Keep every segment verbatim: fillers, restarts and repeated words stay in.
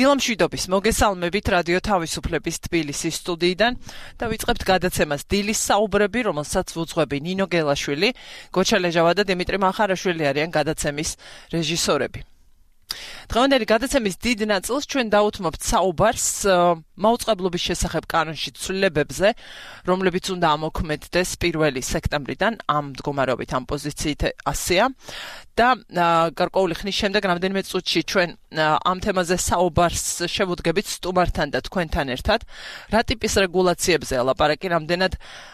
დილამშვიდობის მოგესალმებით რადიო თავისუფლების თბილისის სტუდიიდან და ვიწყებთ გადაცემას დილის საუბრები, რომელსაც უძღვები ნინო გელაშვილი, გოჩა ლეჟავა და დიმიტრი მახარაშვილი არიან გადაცემის რეჟისორები. დღევანდელი გადაცემის დიდ ნაწილს ჩვენ დავუთმობთ საუბარს მაუწყებლობის შესახებ კანონში ცვლილებებზე, რომლებიც უნდა ამოქმედდეს პირველი სექტემბრიდან ამ მდგომარეობით ამ პოზიციით ასეა და გარკვეული ხნის შემდეგ რამდენიმე წუთში ჩვენ ამ თემაზე საუბარს შევუდგებით სტუმართან და თქვენთან ერთად, რა ტიპის რეგულაციებზე ელაპარაკი, რამდენად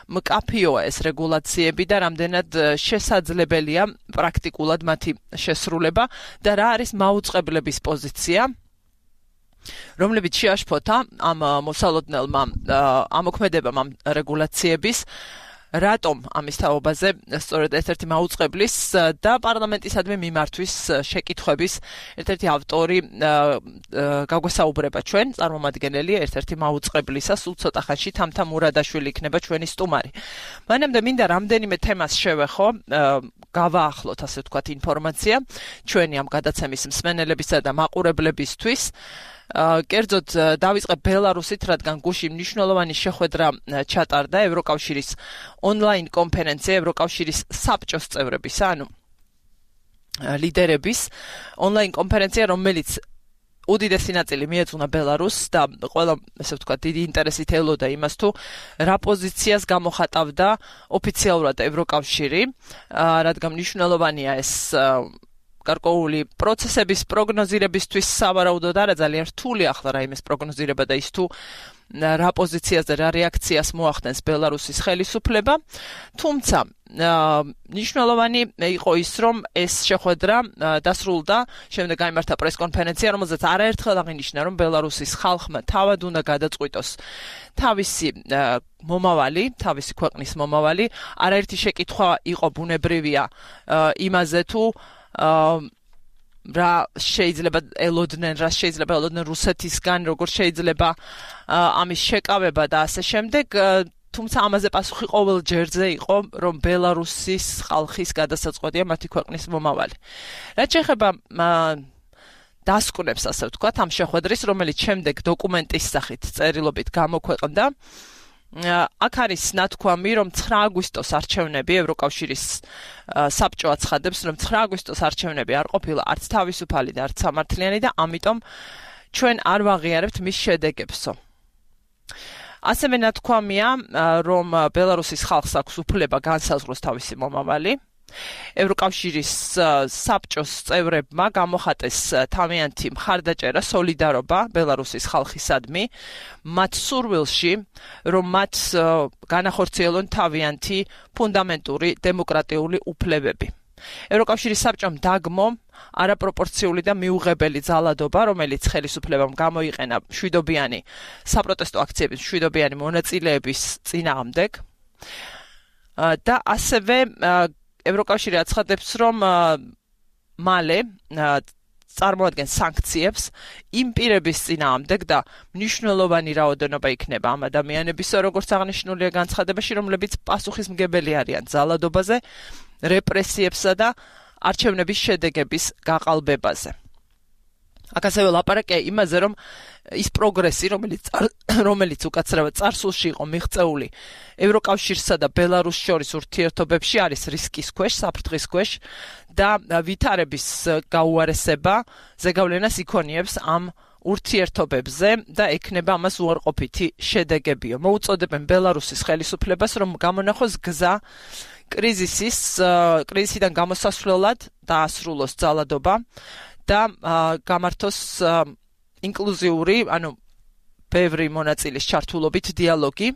მკაფიოა ეს რეგულაციები და რამდენად შესაძლებელია პრაქტიკულად მათი შესრულება და რა არის მაუწყებლების პოზიცია, რომლებიც შეაშფოთა ამ მოსალოდნელმა ამოქმედებამ ამ რეგულაციების, რატომ ამის თაობაზე სწორედ ერთ-ერთი მაუწყებლის და პარლამენტისადმი მიმართვის შეკითხვების ერთ-ერთი ავტორი გაგვესაუბრება ჩვენ, წარმომადგენელი ერთ-ერთი მაუწყებლისა, სულ ცოტა ხანში თამთა მურადაშვილი იქნება ჩვენი სტუმარი. მანამდე მინდა რამდენიმე თემას შევეხო, გავაახლოთ ასე ვთქვათ ინფორმაცია ჩვენი ამ გადაცემის მსმენელებისა და მაყურებლებისთვის. კერძოდ დავიწყებ ბელარუსით, რადგან გუშინ მნიშვნელოვანი შეხვედრა ჩატარდა ევროკავშირის ონლაინ კონფერენცია, ევროკავშირის საბჭოს წევრებისა, ანუ ლიდერების ონლაინ კონფერენცია, რომელიც უდიდესი ნაწილი მიეძღვნა ბელარუსს და ყველა, ესე ვთქვათ, დიდი ინტერესით ელოდა იმას თუ რა პოზიციას გამოხატავდა ოფიციალურად ევროკავშირი, რადგან მნიშვნელოვანია ეს გარკვეული პროცესების პროგნოზირებისთვის სავარაუდოდ არა ძალიან რთული ახლა რაიმეს პროგნოზირება და ის თუ რა პოზიციაზე რა რეაქციას მოახდენს ბელარუსის ხელისუფლება, თუმცა მნიშვნელოვანი იყო ის, რომ ეს შეხვედრა დასრულდა, შემდეგ გაიმართა პრესკონფერენცია, რომელზეც არაერთხელ აღინიშნა, რომ ბელარუსის ხალხმა თავად უნდა გადაწყვიტოს თავისი მომავალი, თავისი ქვეყნის მომავალი, არაერთი შეკითხვა იყო ბუნებრივია იმაზე თუ რა შეიძლება ელოდნენ, რა შეიძლება ელოდნენ რუსეთისგან, როგორ შეიძლება ამის შეკავება და ასე შემდეგ, თუმცა ამაზე პასუხი ყოველ ჯერზე იყო, რომ ბელარუსის ხალხის გადასაწყვეტია მათი ქვეყნის მომავალი. რაც შეეხება დასკვნებს, ასე ვთქვათ, ამ შეხვედრის, რომელიც შემდეგ დოკუმენტის სახით წერილობით გამოქვეყნდა, აქ არის ნათქვამი, რომ ცხრა აგვისტოს არჩევნები ევროკავშირის საბჭო აცხადებს, რომ ცხრა აგვისტოს არჩევნები არ ყოფილა არც თავისუფალი და არც სამართლიანი და ამიტომ ჩვენ არ ვაღიარებთ მის შედეგებსო. ასევე ნათქვამია, რომ ბელარუსის ხალხს აქვს უფლება განსაზღვროს თავისი მომავალი. ევროკავშირის საბჭოს წევრებმა გამოხატეს თავიანთი მხარდაჭერა, სოლიდარობა ბელარუსის ხალხისადმი, მათ სურვილში, რომ მათ განახორციელონ თავიანთი ფუნდამენტური დემოკრატიული უფლებები. ევროკავშირის საბჭომ დაგმო არაპროპორციული და მიუღებელი ძალადობა, რომელიც ხელისუფლებამ გამოიყენა მშვიდობიანი საპროტესტო აქციების მშვიდობიანი მონაწილეების წინააღმდეგ და ასევე ევროკავშირი აცხადებს, რომ მალე წარმოადგენს სანქციებს იმ პირების წინააღმდეგ და მნიშვნელოვანი რაოდენობა იქნება ამ ადამიანების, როგორც აღნიშნულია განცხადებაში, რომლებიც პასუხისმგებელი არიან ძალადობაზე, რეპრესიებსა და არჩევნების შედეგების გაყალბებაზე. აქ ასევე ლაპარაკია იმაზე, რომ ის პროგრესი, რომელიც რომელიც უკაცრავად წარსულში იყო მიღწეული ევროკავშირსა და ბელარუსს შორის ურთიერთობებში, არის რისკის ქვეშ, საფრთხის ქვეშ და ვითარების გაუარესება ზეგავლენას იქონიებს ამ ურთიერთობებზე და ექნება ამას უარყოფითი შედეგებიო. მოუწოდებენ ბელარუსის ხელისუფლებას, რომ გამონახოს გზა კრიზისის, კრიზისიდან გამოსასვლელად დაასრულოს ძალადობა და გამართოს ინკლუზიური, ანუ ბევრი მონაწილის ჩართულობით დიალოგი,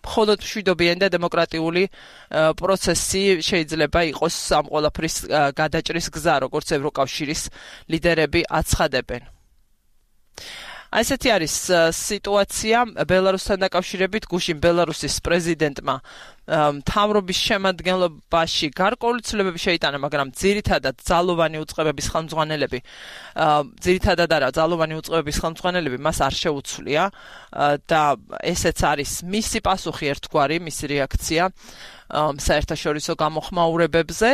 მხოლოდ მშვიდობიანი და დემოკრატიული პროცესი შეიძლება იყოს ამ ყველაფრის გადაჭრის გზა, როგორც ევროკავშირის ლიდერები აცხადებენ. ასეთი არის სიტუაცია ბელარუსთან დაკავშირებით. გუშინ ბელარუსის პრეზიდენტმა მთავრობის შემადგენლობაში გარკვეული ცვლილებები შეიტანა, მაგრამ ძირითადად ძალოვანი უწყებების ხელმძღვანელები, ძირითადად არა, ძალოვანი უწყებების ხელმძღვანელები მას არ შეუცვლია და ესეც არის მისი პასუხი ერთგვარი, მისი რეაქცია საერთაშორისო გამოხმაურებებზე.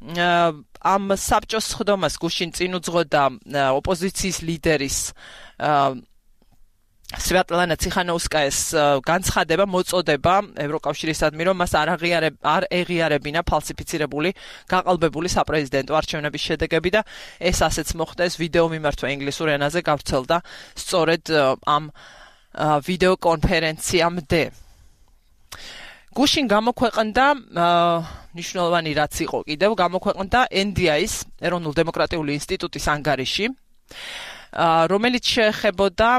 ამ საბჭოს ხდომას გუშინ წინ უძღოდა ოპოზიციის ლიდერის სვიატლანა ციხანოუსკაის განცხადება მოწოდება ევროკავშირისადმი, რომ მას არ არ ეღიარებინა ფალსიფიცირებული გაყალბებული საპრეზიდენტო არჩევნების შედეგები და ეს ასეც მოხდა. ეს ვიდეო მიმართვა ინგლისურ ენაზე გავრცელდა სწორედ ამ ვიდეო კონფერენციამდე. გუშინ გამოქვეყნდა ნიშნულოვანი რაც იყო კიდევ გამოქვეყნდა ენ დი აის ეროვნულ დემოკრატიული ინსტიტუტის ანგარიში, რომელიც შეეხებოდა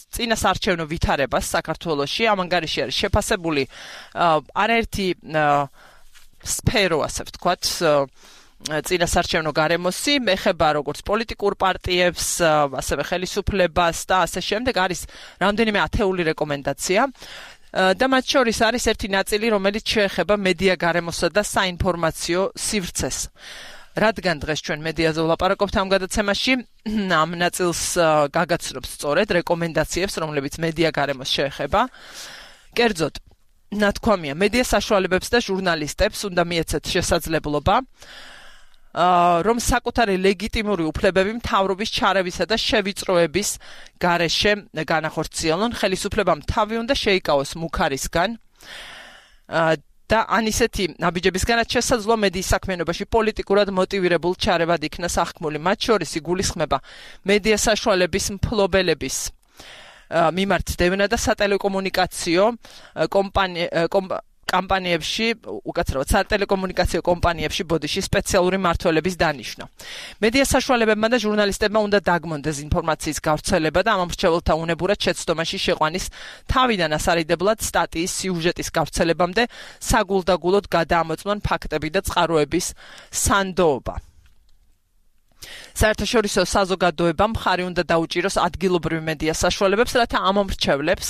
წინასარჩევნო ვითარებას საქართველოში. ამ ანგარიში არის შეფასებული არაერთი სფერო, ასე ვთქვათ, წინასარჩევნო გარემოსი, ეხება როგორც პოლიტიკურ პარტიებს, ასევე ხელისუფლებას და ასე შემდეგ. არის რამდენიმე ათეული რეკომენდაცია და მათ შორის არის ერთი ნაწილი, რომელიც შეეხება მედია გარემოსა და საინფორმაციო სივრცეს. რადგან დღეს ჩვენ მედიაზე ვლაპარაკობთ ამ გადაცემაში, ამ ნაწილს გაგაცნობს სწორედ რეკომენდაციებს, რომლებიც მედია გარემოს შეეხება. კერძოდ, ნათქვამია, მედია საშუალებებს და ჟურნალისტებს უნდა მიეცეთ შესაძლებლობა, რომ საკუთარი ლეგიტიმური უფლებები მთავრობის ჩარევისა და შევიწროების გარეშე განახორციელონ, ხელისუფლებამ თავი უნდა შეიკავოს მუქარისგან და ან ისეთი აბიჯებისგანაც შესაძლოა მედიის საქმიანობაში პოლიტიკურად მოტივირებულ ჩარევად იქნა სახქმული. მათ შორის იგულისხმება მედია საშუალების მფლობელების მიმართ დევნა და სატელეკომუნიკაციო კომპანიებში, უკაცრავად სატელეკომუნიკაციო კომპანიებში ბოდიში სპეციალური მმართველების დანიშვნა. მედია საშუალებებმა და ჟურნალისტებმა უნდა დაგმონ დეზინფორმაციის გავრცელება და ამ მრჩეველთა უნებურად შეცდომაში შეყვანის თავიდან ასარიდებლად სტატიის სიუჟეტის გავრცელებამდე საგულდაგულოდ გადაამოწმონ ფაქტები და წყაროების სანდოობა. საერთაშორისო საზოგადოებამ მხარი უნდა დაუჭიროს ადგილობრივ მედია საშუალებებს, რათა ამ მომრჩევლებს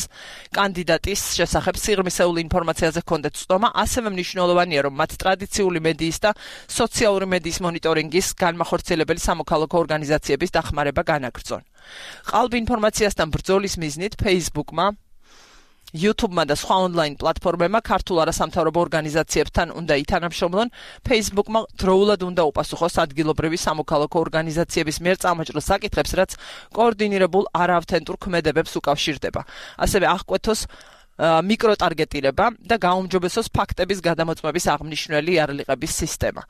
კანდიდატის შესახებ სიღრმისეული ინფორმაციაზე ჰქონდეთ ცდომა. ასევე მნიშვნელოვანია, რომ მათ ტრადიციული მედიის და სოციალური მედიის მონიტორინგის განმახორციელებელი სამოქალაქო ორგანიზაციების დახმარება განაგრძონ. ყალბ ინფორმაციასთან ბრძოლის მიზნით Facebook-მა, YouTube-მა და სხვა ონლაინ პლატფორმებმა ქართულ არასამთავრობო ორგანიზაციებთან უნდა ითანამშრომლონ. Facebook-მა დროულად უნდა უპასუხოს ადგილობრივი სამოქალაქო ორგანიზაციების მიერ წამოჭრილ საკითხებს, რაც კოორდინირებულ არაავთენტურ ქმედებებს უკავშირდება. ასევე აღკვეთოს მიკროტარგეტირება და გაუმჯობესოს ფაქტების გადამოწმების აღმნიშვნელი იარლიყების სისტემა.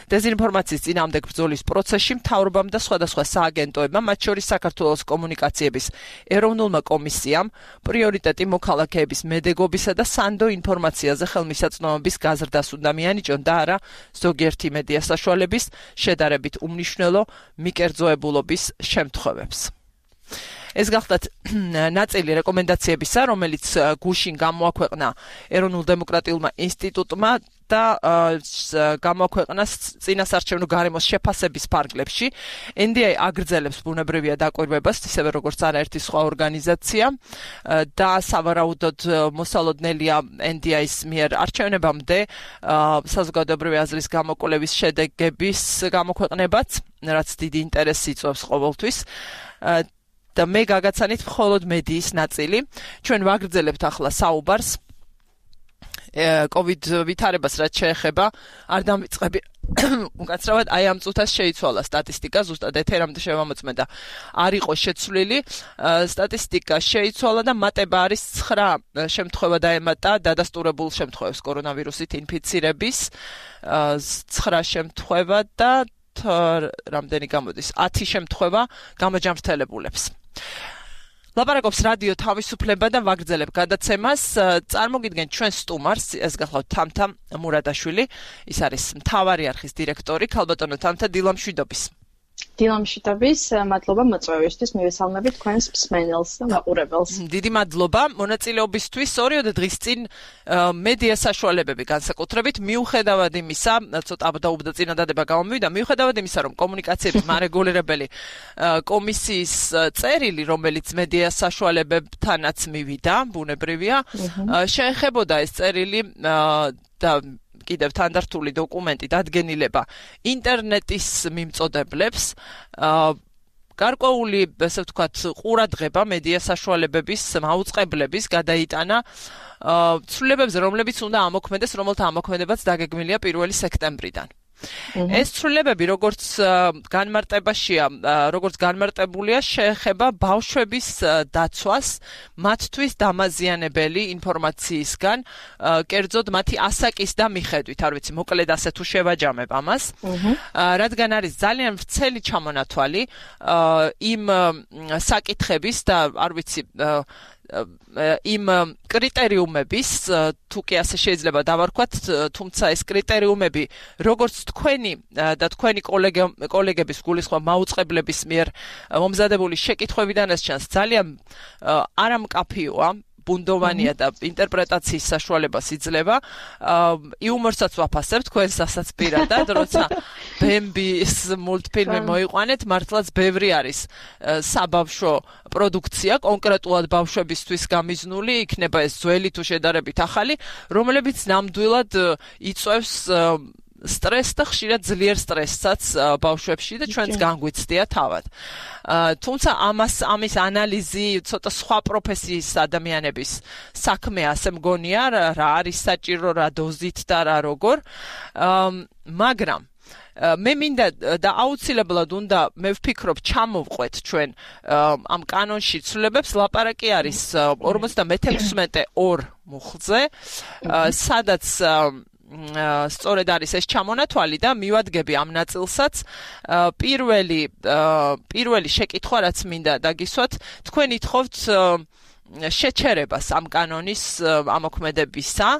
დეზინფორმაციის წინააღმდეგ ბრძოლის პროცესში მთავრობამ და სხვადასხვა სააგენტოებმა, მათ შორის საქართველოს კომუნიკაციების ეროვნულმა კომისიამ, პრიორიტეტი მოქალაქეების მედეგობისა და სანდო ინფორმაციაზე ხელმისაწვდომობის გაზრდას უნდა მიანიჭონ და არა ზოგიერთი მედია საშუალების შედარებით უმნიშვნელო მიკერძოებულობის შემთხვევებს. ეს გახლდათ ნაწილი რეკომენდაციებისა, რომელიც გუშინ გამოაქვეყნა ეროვნულ დემოკრატიულმა ინსტიტუტმა და გამოაქვეყნა წინასარჩევნო გარემოს შეფასების ფარგლებში. ენ დი აი აგრძელებს ბუნებრივია დაკვირვებას, ისევე როგორც არაერთი სხვა ორგანიზაცია და სავარაუდოდ მოსალოდნელია ენ დი აის მიერ არჩევნებამდე საზოგადოებრივი აზრის გამოკვლევის შედეგების გამოქვეყნებაც, რაც დიდი ინტერესს იწვევს ყოველთვის. და მე გაგაცანით მხოლოდ მედიის ნაწილი. ჩვენ ვაგრძელებთ ახლა საუბარს COVID ვითარებას, რაც შეეხება არ დამიწყები. უკაცრავად აი ამ წუთას შეიცვალა სტატისტიკა, ზუსტად ეთერამდე შევამოწმე და არ იყო შეცვლილი. სტატისტიკა შეიცვალა და მატება არის ცხრა შემთხვევა დაემატა დადასტურებულ შემთხვევებს კორონავირუსით ინფიცირების, ცხრა შემთხვევა და რამდენი გამოდის? ათი შემთხვევა გამოჯამრთელებულებს. ლაპარაკობს რადიო თავისუფლება და ვაგრძელებ გადაცემას. წარმოგიდგენთ ჩვენ სტუმარს, ეს გახლავთ თამთა მურადაშვილი, ის არის მთავარი არხის დირექტორი, ქალბატონო თამთა, დილამშვიდობის. დილამშვიდობის, მადლობა მოწვევისთვის, მივესალმებით თქვენს მსმენელს და მაყურებელს. დიდი მადლობა მონაწილეობისთვის. ორიოდ დღის წინ მედია საშუალებები განსაკუთრებით მიუხედავად იმისა, ცოტა დაუბდა წინადადება გამომივიდა, მიუხედავად იმისა, რომ კომუნიკაციების მარეგულირებელი კომისიის წერილი, რომელიც მედია საშუალებებთანაც მივიდა, ბუნებრივია, შეეხებოდა ეს წერილი და კიდევ თანდართული დოკუმენტი დადგენილება ინტერნეტის მიმწოდებლებს, გარკვეული, ესე ვთქვათ, ყურადღება მედია საშუალებების მაუწყებლების გადაიტანა ცვლილებებზე, რომლებიც უნდა ამოქმედეს, რომელთა ამოქმედებაც დაგეგმილია პირველი სექტემბრიდან. ეს ცვლილებები როგორც განმარტებაშია, როგორც განმარტებულია, შეეხება ბავშვების დაცვას მათთვის დამაზიანებელი ინფორმაციისგან, კერძოდ მათი ასაკის და მიხედვით, არ ვიცი, მოკლედ ასე თუ შევაჯამებ ამას. რადგან არის ძალიან ვრცელი ჩამონათვალი იმ საკითხების და არ ვიცი იმ კრიტერიუმების, თუ კი ასე შეიძლება დავარქვათ, თუმცა ეს კრიტერიუმები, როგორც თქვენი და თქვენი კოლეგების გულისხმობ მაუწყებლების მიერ მომზადებული შეკითხვებიდანაც ჩანს, ძალიან არამკაფიოა, ბუნდოვანია და ინტერპრეტაციის საშუალებას იძლევა. იუმორსაც ვაფასებ თქვენსასაც პირადად, როცა ბემბის მულტფილმი მოიყვანეთ, მართლაც ბევრი არის საბავშვო პროდუქცია, კონკრეტულად ბავშვებისთვის გამიზნული, იქნება ეს ძველი თუ შედარებით ახალი, რომლებიც ნამდვილად იწვევს სტრესს და ხშირად ძლიერ სტრესსაც ბავშვებში და ჩვენც განგვიცდია თავად. თუმცა ამას ამის ანალიზი ცოტა სხვა პროფესიის ადამიანების საქმეა, ასე მგონია, რა არის საჭირო, რა დოზით და რა როგორ. მაგრამ მე მინდა და აუცილებლად უნდა მე ვფიქრობ ჩამოვყვეთ ჩვენ ამ კანონში ცვლილებებს, ლაპარაკი არის ორმოცდამეექვსმეტე ორ მუხლზე, სადაც სწორედ არის ეს ჩამონათვალი და მივადგები ამ ნაწილსაც. პირველი პირველი შეკითხვა, რაც მინდა დაგისვათ, თქვენ ითხოვთ შეჩერებას ამ კანონის ამოქმედებისა,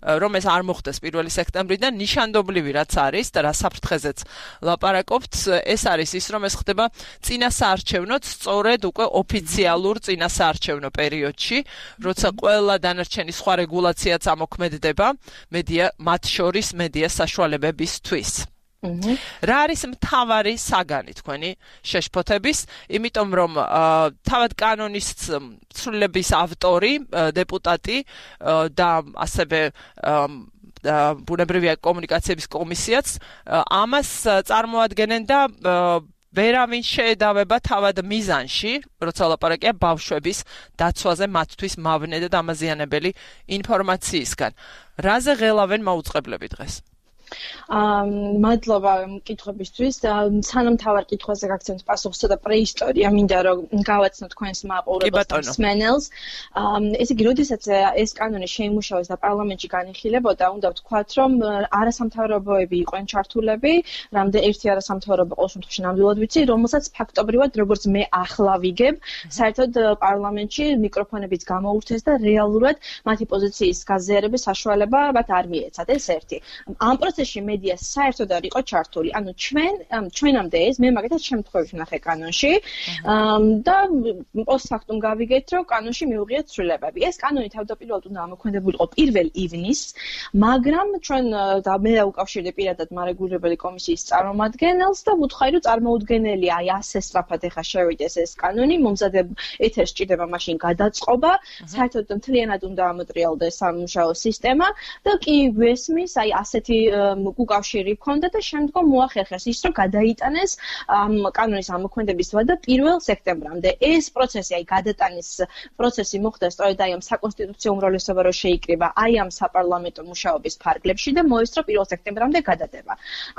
რომ ეს არ მოხდეს პირველი სექტემბრიდან, ნიშანდობლივი რაც არის და რა საფრთხეზეც ლაპარაკობთ, ეს არის ის, რომ ეს ხდება წინასაარჩევნოდ, სწორედ უკვე ოფიციალურ წინასაარჩევნო პერიოდში, როცა ყველა დანარჩენი სხვა რეგულაციაც ამოქმედდება მედია, მათ შორის მედია საშუალებებისთვის. რა არის მთავარი საგანი თქვენი შეშფოთების, იმიტომ რომ თავად კანონის ცვლილების ავტორი, დეპუტატი და ასევე ბუნებრივი კომუნიკაციების კომისიაც ამას წარმოადგენენ და ვერავინ შეედავება თავად მიზანში, როცა ლაპარაკია ბავშვების დაცვაზე მათთვის მავნე და დამაზიანებელი ინფორმაციისგან. რაზე ღელავენ მაუწყებლები დღეს? მადლობა კითხვებისთვის და სანამ თავარ კითხვაზე გაგცემთ პასუხს და პრეისტორია მინდა რომ გავაცნო თქვენს მაყურებელს სმენელს. ესე იგი, როდესაც ეს კანონი შეიმუშავეს და პარლამენტში განიხილებოდა, უნდა ვთქვათ, რომ არასამთავრობოები იყვნენ ჩართულები, რამდენ ერთი არასამთავრობო ყოველ შემთხვევაში ნამდვილად ვიცი, რომელსაც ფაქტობრივად როგორც მე ახლა ვიგებ, საერთოდ პარლამენტში მიკროფონებიც გამოურთეს და რეალურად მათი პოზიციის გაზიარების საშუალება მათ არ მიეცათ. ეს ერთი. ამ პროცესში მედია საერთოდ არ იყო ჩართული. ანუ ჩვენ ჩვენამდე ეს მე მაგათაც შემთხვევაში ვნახე კანონში და პოსტფაქტუმ გავიგეთ, რომ კანონში მიუღიათ ცვლილებები. ეს კანონი თავდაპირველად უნდა ამოქმედებულიყო პირველ ივნისს, მაგრამ ჩვენ და მე უკავშირდი პირადად მარეგულირებელი კომისიის წარმომადგენელს და ვუთხარი, რომ წარმოუდგენელია აი ასე სწრაფად ეხა შევიდეს ეს კანონი, მომზადებ ეთერს ჭირდება მაშინ გადაწყობა, საერთოდ მთლიანად უნდა ამოტრიალდეს სამუშაო სისტემა და კი ვესმის აი ასეთი უკავშირი ჰქონდა და შემდგომ მოახერხეს ის, რომ გადაიტანეს ამ კანონის ამოქმედების ვადა პირველ სექტემბრამდე. ეს პროცესი, აი გადატანის პროცესი მოხდა სწორედ აი ამ საკონსტიტუციო უმრავლესობა რო შეიკრიბა აი ამ საპარლამენტო მუშაობის ფარგლებში და მოესწრო პირველ სექტემბრამდე გადადება.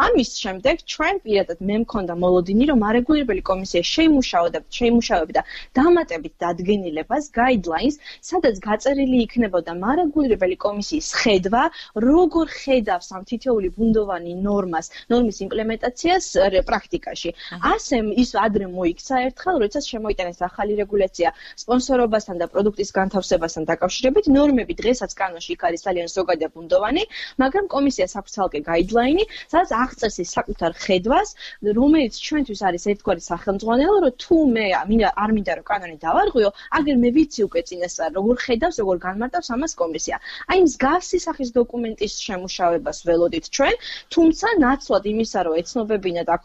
ამის შემდეგ ჩვენ პირადად მე მქონდა მოლოდინი, რომ არეგულირებელი კომისია შეიმუშაოდა, შეიმუშავებდა დამატებით დადგენილებას, guidelines, სადაც გაწერილი იქნებოდა მარეგულირებელი კომისიის ხედვა, როგორ ხედავს ამ თითოეული ბუნდოვანი ნორმას, ნორმის იმპლემენტაციას პრაქტიკაში. ასე ის ადრე მოიქცა ერთხელ, როდესაც შემოიტანეს ახალი რეგულაცია სპონსორობასთან და პროდუქტის განთავსებასთან დაკავშირებით. ნორმები დღესაც კანონში იქ არის ძალიან ზოგადი ბუნდოვანი, მაგრამ კომისიას აქვს ცალკე guideline, სადაც აღწერს ის საკუთარ ხედვას, რომელიც ჩვენთვის არის ერთგვარი სახელმძღვანელო, რომ თუ მე არ მინდა რომ კანონი დავარღვიო, აგერ მე ვიცი უკვე წინასწარ როგორ ხედავს, როგორ განმარტავს ამას კომისია. აი მსგავსი სახის დოკუმენტის შემუშავებას ველოდით ჩვენ, თუმცა ნაცვლად იმისა, რომ ეცნობებინა და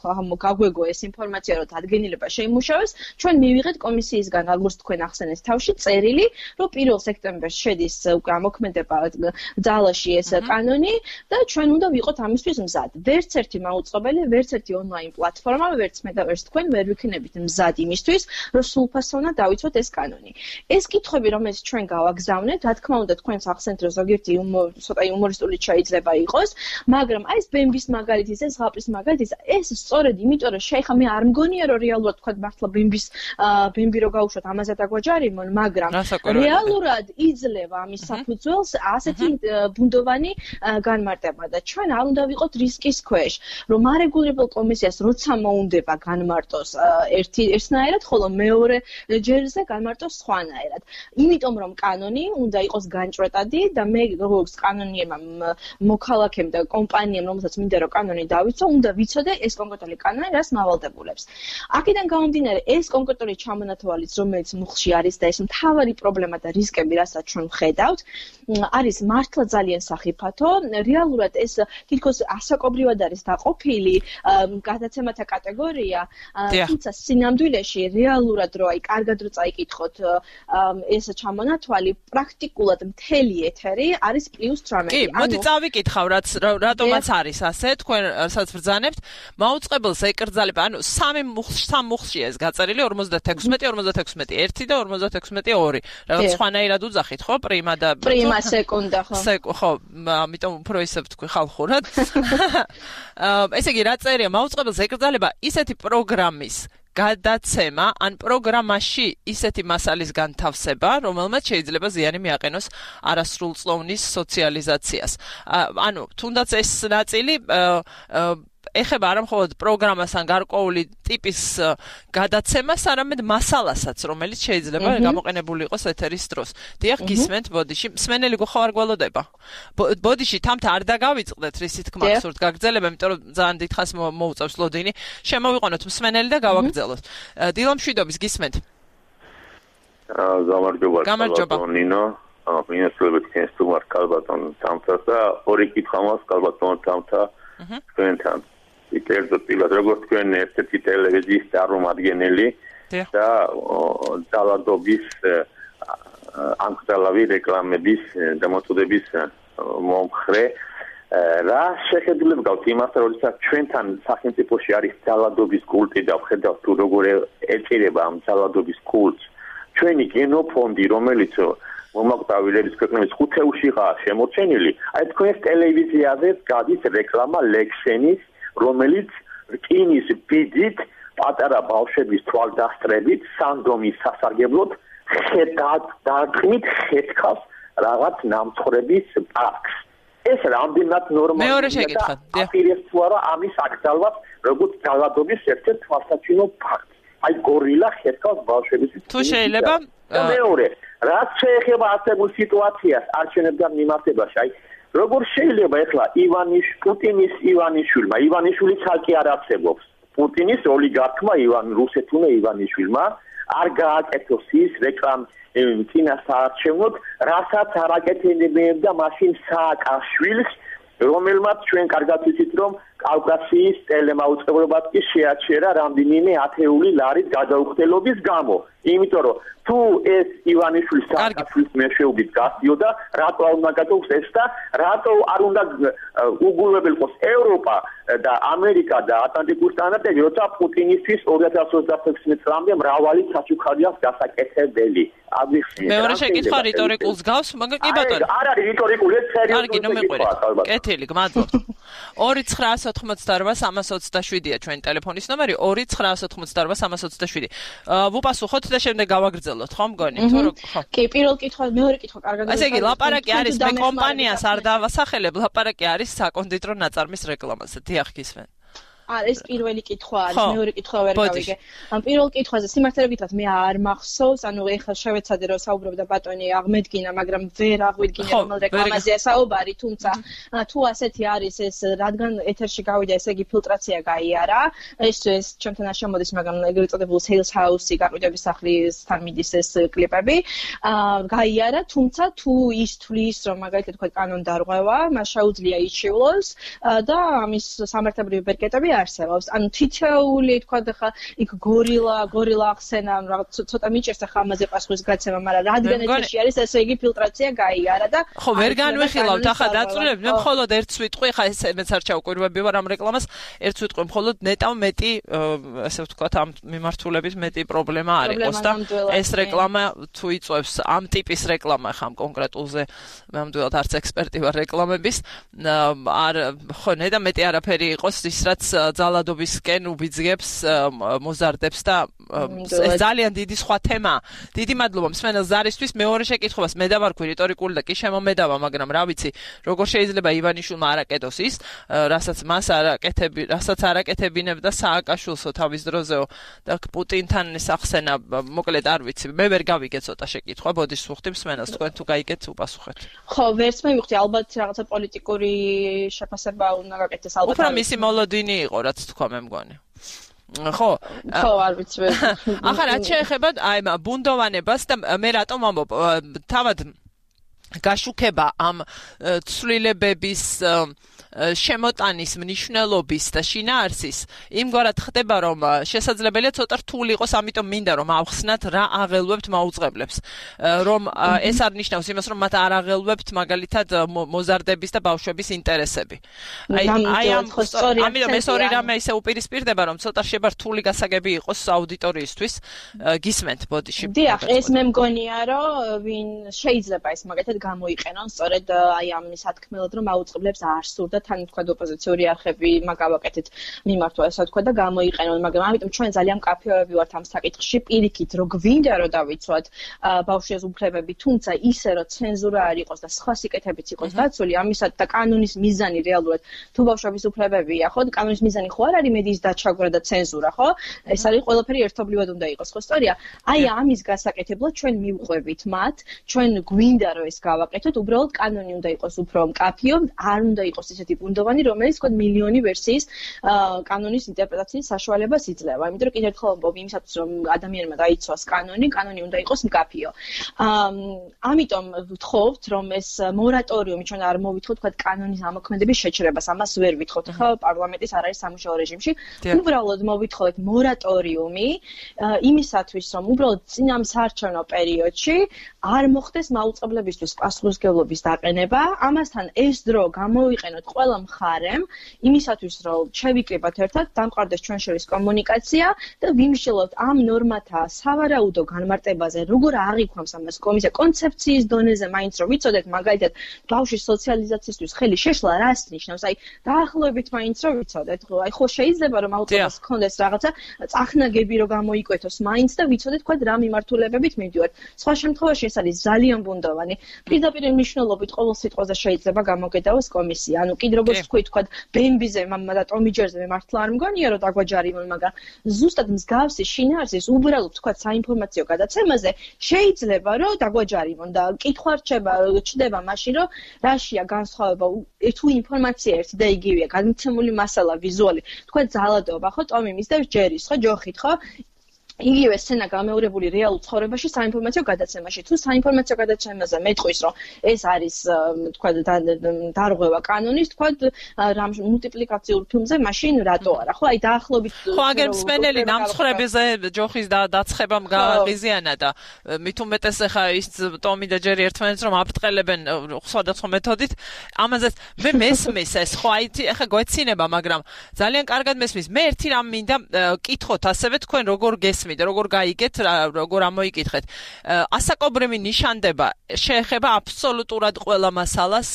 გაგვეგო ეს ინფორმაცია, რომ დადგენილება შეიმუშავეს, ჩვენ მივიღეთ კომისიისგან, როგორც თქვენ ახსენეთ თავში, წერილი, რომ პირველ სექტემბერს შედის უკვე ამოქმედება ძალაში ეს კანონი და ჩვენ უნდა ვიყოთ ამისთვის მზად. ვერც ერთი მაუწყებელი, ვერც ერთი ონლაინ პლატფორმა, ვერც მე და ვერც თქვენ ვერ ვიქნებით მზად იმისთვის, რომ სრულფასოვნად დავიცვათ ეს კანონი. ეს კითხვები, რომელიც ჩვენ გავაგზავნეთ, რა თქმა უნდა, თქვენს ახსენეთ, რომ ზოგიერთი ცოტა იუმორისტული შეიძლება იყოს, მაგრამ აი ეს ბემბის მაგალითის, ეს ზღაპრის მაგალითის, ეს სწორედ იმიტომ რომ შეიხა მე არ მგონია რომ რეალურად თქვა მართლა ბემბის ბემბი რო გაუშვათ ამაზე დაგوجარიმონ, მაგრამ რეალურად იძლევა ამის საფუძველს ასეთი ბუნდოვანი განმარტება და ჩვენ არ უნდა ვიყოთ რისკის ქვეშ, რომ არეგულირებელ კომისიას როცა მოუნდება განმარტოს ერთი ერთნაირად, ხოლო მეორე ჯერზე განმარტოს სხვანაირად. იმიტომ რომ კანონი უნდა იყოს განჭრეტადი და მე როგორც კანონიერმა მოქალაქემ და კომპანიამ, რომელსაც მინდა რომ კანონი დავიცვა, უნდა ვიცოდე ეს კონკრეტული კანონი რას მავალდებულებს. აქედან გამომდინარე, ეს კონკრეტული ჩამონათვალიც, რომელიც მუხლში არის და ეს მთავარი პრობლემა და რისკები, რასაც ჩვენ ვხედავთ, არის მართლა ძალიან სახიფათო. რეალურად ეს თითქოს ასაკობრივად არის დაყოფილი გადაცემათა კატეგორია, თუმცა სინამდვილეში რეალურად რო აი კარგად რო წაიკითხოთ ეს ჩამონათვალი, პრაქტიკულად მთელი ეთერი არის პლუს თხამეტი. კი, მოდი წავიკითხავ, რაც რატომაც არის ასე, თქვენ რასაც ბრძანებთ, მაუწყებელს ეკრძალება, ანუ სამი მუხლში, სამ მუხლში ეს გაწერილი ორმოცდათექვსმეტი, ორმოცდათექვსმეტი ერთი და ორმოცდათექვსმეტი ორი. რაღაც სხვანაირად უძახით, ხო, პრიმა და პრიმა სეკუნდა, ხო. ხო, ამიტომ უფრო ისე ვთქვი ხალხურად. ესე იგი, რა წერია, მაუწყებელს ეკრძალება ისეთი პროგრამის გადაცემა ან პროგრამაში ისეთი მასალის განთავსება, რომელმაც შეიძლება ზიანი მიაყენოს არასრულწლოვნის სოციალიზაციას. ანუ, თუნდაც ეს ნაწილი ეხება არა მხოლოდ პროგრამას ან გარკვეული ტიპის გადაცემას, არამედ მასალასაც, რომელიც შეიძლება გამოყენებული იყოს ეთერის დროს. დიახ, გისმენთ ბოდიში, მსმენელი გხო არ გველოდება. ბოდიში თამთა არ დაგავიწყდეთ, რისი თქმა გსურთ გაგრძელება, იმიტომ რომ ძალიან დიდხანს მოუწევს ლოდინი. შემოვიყვანოთ მსმენელი და გავაგრძელოთ. დილამშვიდობის გისმენთ. გამარჯობა. გამარჯობა. ნინო, მინესწრებით ქენს თუ მარ კალბატონ თამთას და ორი კითხვა მაქვს კალბატონ თამთა თქვენთან. კერძოდ პირად როგორც თქვენ ერთ-ერთი ტელევიზიის წარმომადგენელი და ძალადობის ანკტალავი რეკლამების დამოწოდების მომხრე, რა შეხედულება გაქვთ იმასთან, როდესაც ჩვენთან სახელმწიფოში არის ძალადობის კულტი და ვხედავთ თუ როგორ ეწირება ამ ძალადობის კულტს. ჩვენი გენოფონდი, რომელიც მომაკვდავილების ქვეყნების ხუთეულშიღაა შემორჩენილი, აი თქვენს ტელევიზიაზე გადის რეკლამა ლექსენის, რომელიც რკინის ბიძით პატარა ბავშვების თვალდასწრებით სანდრომის სასარგებლოდ ხედავთ დარტყმით ხეთქავს რაღაც ნამცხრების პარკს. ეს რამდენად ნორმალია? მეორე შეკითხვა. აპირებს თუ არა ამის აკრძალვას, როგორც ძალადობის ერთ-ერთ თვალსაჩინო ფაქტს. აი გორილა ხეთქავს ბავშვების. თუ შეიძლება მეორე, რაც შეეხება ასებულ სიტუაციას არჩევნებთან მიმართებაში, აი როგორ შეიძლება ახლა ივანიშ პუტინის ივანიშვილმა, ივანიშვილი ცალკე არ არსებობს. პუტინის ოლიგარქმა ივან რუსეთუნა ივანიშვილმა არ გააკეთოს ის რეკლამ წინასაარჩევნოდ, რასაც არ აკეთებდა მაშინ სააკაშვილს, რომელმაც ჩვენ კარგად ვიცით, რომ კავკასიის ტელემაუწყებლობად კი შეაჩერა რამდენიმე ათეული ლარის გადაუხდელობის გამო. იმიტომ რომ თუ ეს ივანიშვილის სააკაშვილის მეშვეობით გასდიოდა, რატო არ უნდა გადაუხდეს ეს და რატო არ უნდა უგულებელყოს ევროპა და ამერიკა და ატლანტიკური სტანდარტები, როცა პუტინისთვის ორი ათას ოცდათექვსმეტ წლამდე მრავალი საჩუქარია გასაკეთებელი. მეორე შეკითხვა რიტორიკულს გავს, მაგრამ კი ბატონო. არ არის რიტორიკული, ეს სერიოზული შეკითხვაა. კეთილი, გმადლობთ. ორი ცხრაას ოთხმოცდაორვა სამას ოცდაშვიდია ჩვენი ტელეფონის ნომერი, ორი ცხრაას ოთხმოცდაორვა სამას ოცდაშვიდი. ვუპასუხოთ და შემდეგ გავაგრძელოთ, ხო მგონი? თუ ხო. კი, პირველ კითხვა, მეორე კითხვა კარგად. ასე იგი, ლაპარაკი არის მე კომპანიას არ დავასახელებ, ლაპარაკი არის საკონდიტრო ნაწარმის რეკლამაზე. დიახ, გისმენ. არა, ეს პირველი კითხვა არის, მეორე კითხვა ვერ გავიგე. ამ პირველ კითხვაზე სიმართლე გითხრათ, მე არ მახსოვს, ანუ ეხლა შევეცადე რომ საუბრობდა ბატონი აღმედგინა, მაგრამ ვერ აღვიდგინე რომელ რეკლამაზეა საუბარი, თუმცა თუ ასეთი არის ეს, რადგან ეთერში გავიდა, ესე იგი ფილტრაცია გაიარა, ეს ეს ჩვენთან არ შემოდის, მაგრამ ეგრეთ წოდებული sales house-ი გაყიდვების სახლისთან მიდის ეს კლიპები, გაიარა, თუმცა თუ ის თვლის, რომ მაგალითად თქვა კანონ დარღვევა, მას შეუძლია იჩივლოს და ამის სამართლებრივი ბერკეტები არსებობს. ანუ თითოეული თქვა ხა იქ გორილა, გორილა ახსენა, რაღაც ცოტა მიჭერს ხა ამაზე პასუხის გაცემა, მაგრამ რადგან ეთერში არის, ესე იგი ფილტრაცია გაიარა და ხო, ვერ განვიხილავთ ახლა დაწვრილებ, მე მხოლოდ ერთ სიტყვი ხა ეს მეც არ ჩავკვირვები ვარ ამ რეკლამას, ერთ სიტყვი მხოლოდ ნეტავ მეტი, ესე ვთქვათ, ამ მიმართულების მეტი პრობლემა არ იყოს და ეს რეკლამა თუ იწევს ამ ტიპის რეკლამა ხა ამ კონკრეტულზე ნამდვილად არც ექსპერტი ვარ რეკლამების არ ხო ნეტა მეტი არაფერი იყოს ის რაც ძალადობისკენ უბიძგებს მოზარდებს და ეს ძალიან დიდი სხვა თემაა. დიდი მადლობა მსმენელს ზარისთვის. მეორე შეკითხვას მე დავარქვი რიტორიკული და კი შემომედავა, მაგრამ რა ვიცი, როგორ შეიძლება ივანიშვილმა არაკეთოს ის, რასაც მას არაკეთები, რასაც არაკეთებინებდა სააკაშვილსო თავის დროზეო და პუტინთან სახსენა, მოკლედ არ ვიცი. მე ვერ გავიგე ცოტა შეკითხვა, ბოდიშ ვუხდი მსმენელს, თქვენ თუ გაიგეთ უპასუხეთ. ხო, ვერც მე ვიხდი, ალბათ რაღაცა პოლიტიკური შეფასება უნდა გაკეთდეს ალბათ. უფრო მისი მოლოდინი იყო, რაც თქვა მე მგონი. ხო, ხო, არ ვიცი. ახლა რაც შეეხება აი ამ ბუნდოვანებას და მე რატომ ამბობ, თავად გაშუქება ამ ცვლილებების შემოტანის მნიშვნელობის და შინაარსის იმგვარად ხდება, რომ შესაძლებელია ცოტა რთული იყოს, ამიტომ მინდა რომ ავხსნათ რა აღელვებთ მაუწყებლებს, რომ ეს არ ნიშნავს იმას, რომ მათ არ აღელვებთ მაგალითად მოზარდების და ბავშვების ინტერესები. აი აი ამ ამიტომ ეს ორი რამე ისე უპირისპირდება, რომ ცოტა შეება რთული გასაგები იყოს აუდიტორიისთვის. გისმენთ ბოდიში. დიახ, ეს მე მგონია, რომ ვინ შეიძლება ეს მაგათად გამოიყენონ, სწორედ აი ამ სათქმელად, რომ აუწყებლებს არ სურდა თან თქვა ოპოზიციური არხები მაგავაკეთეთ მიმართვა ესა თქვა და გამოიყენონ, მაგრამ ამიტომ ჩვენ ძალიან მკაფიოები ვართ ამ საკითხში, პირიქით რო გვინდა რომ დავიცვათ ბავშვების უფლებები, თუმცა ისე რომ ცენზურა არ იყოს და სხვა სიკეთებიც იყოს დაცული, ამისად და კანონის მიზანი რეალურად თუ ბავშვების უფლებებია, ხო, კანონის მიზანი ხო არ არის მედიის დაჩაგვრა და ცენზურა, ხო? ეს არის ყველაფერი ერთობლივად უნდა იყოს, ხო, სწორია? აი ამის გასაკეთებლად ჩვენ მივყვებით მათ, ჩვენ გვინდა რომ ეს გავაკეთოთ, უბრალოდ კანონი უნდა იყოს უფრო მკაფიო, არ უნდა იყოს ისეთი ბუნდოვანი, რომელიც თქვა მილიონი ვერსიის კანონის ინტერპრეტაციის საშუალებას იძლევა. იმიტომ რომ კიდევ ერთხელ ვამბობ, იმისათვის რომ ადამიანმა დაიცვას კანონი, კანონი უნდა იყოს მკაფიო. ამიტომ ვთხოვთ, რომ ეს მორატორიუმი ჩვენ არ მოვითხოვთ თქვა კანონის ამოქმედების შეჩერებას, ამას ვერ ვითხოვთ. ხო, პარლამენტის არ არის სამუშაო რეჟიმში. უბრალოდ მოვითხოვეთ მორატორიუმი იმისათვის, რომ უბრალოდ წინა საარჩევნო პერიოდში არ მოხდეს მაუწყებლებისთვის პასუხისმგებლობის დაყენება. ამასთან ეს დრო გამოიყენოთ ყველა მხარემ იმისათვის, რომ შევიკრიბათ ერთად, დამყარდეს ჩვენ შორის კომუნიკაცია და ვიმსჯელოთ ამ ნორმათა სავარაუდო განმარტებაზე, როგორ აღიქვამს ამას კომისია კონცეფციის დონეზე, მაინც რომ ვიცოდეთ, მაგალითად, ბავშვის სოციალიზაციისთვის ხელი შეშლა რას ნიშნავს? აი, დაახლოებით მაინც რომ ვიცოდეთ, ხო, აი, ხო შეიძლება რომ აუწყებას ჰქონდეს რაღაცა წახნაგები რომ გამოიკვეთოს მაინც და ვიცოდეთ, თქვა რა მიმართულებებით მივდივართ. სხვა შემთხვევაში ეს არის ძალიან ბუნდოვანი. პირდაპირ მნიშვნელობით ყოველ სიტყვაზე შეიძლება გამოგედავოს კომისია. ანუ კიდე როგორც თქვი, თქვა ბემბიზე და ტომიჯერზე მე მართლა არ მგონია რომ დაგვაჯარიმონ, მაგრამ ზუსტად მსგავსი შინაარსის უბრალოდ თქვა საინფორმაციო გადაცემაზე შეიძლება რომ დაგვაჯარიმონ და კითხვა რჩება ჩდება მაშინ რომ რაშია განსხვავება თუ ინფორმაცია ერთი და იგივეა, გადმოცემული მასალა, ვიზუალი, თქვა ძალადობა, ხო, ტომი მისდევს ჯერის, ხო, ჯოხით, ხო? იგივე სცენა გამეორებული რეალურ ცხოვრებაში საინფორმაციო გადაცემაში. თუ საინფორმაციო გადაცემაზე მეტყვის, რომ ეს არის თქვა დარღვევა კანონის, თქვა რამ მულტიპლიკაციურ ფილმზე, მაშინ რატო არა? ხო, აი დაახლოებით ხო, აგერ მსმენელი ნამსხვრებზე ჯოხის დაცხებამ გააღიზიანა და მით უმეტეს ახლა ის ტომი და ჯერი ერთმანეთს რომ აფრთხელებენ სხვადასხვა მეთოდით. ამაზე მე მესმის ეს, ხო, აი ახლა გვეცინება, მაგრამ ძალიან კარგად მესმის. მე ერთი რამ მინდა კითხოთ ასევე თქვენ როგორ გეს როგორ გაიგეთ, როგორ ამოიკითხეთ. ასაკობრივი ნიშანდება შეეხება აბსოლუტურად ყველა მასალას,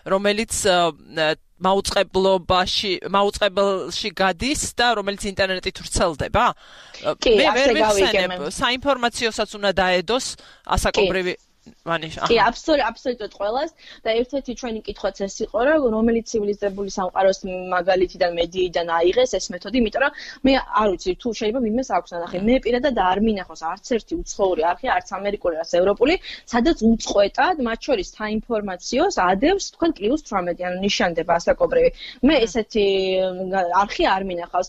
რომელიც მაუწყებლობაში, მაუწყებელში გადის და რომელიც ინტერნეტით ვრცელდება. მე ვერ ვიხსენებ, საინფორმაციოსაც უნდა დაედოს ასაკობრივი ვანიშა. კი, აბსოლუტურად, აბსოლუტურად ყველას და ერთ-ერთი ჩვენი კითხვაც ეს იყო, რომ რომელიც ცივილიზებული სამყაროს მაგალითიდან მედიიდან აიღეს ეს მეთოდი, იმიტომ რომ მე არ ვიცი, თუ შეიძლება ვინმეს აქვს ნახე, მე პირადად არ მინახავს არც ერთი უცხოური არხი, არც ამერიკული, არც ევროპული, სადაც უწყვეტად მათ შორის საინფორმაციოს ადევს, თქვენ პლუს თვრამეტი, ანუ ნიშანდება ასაკობრივი. მე ესეთი არხი არ მინახავს.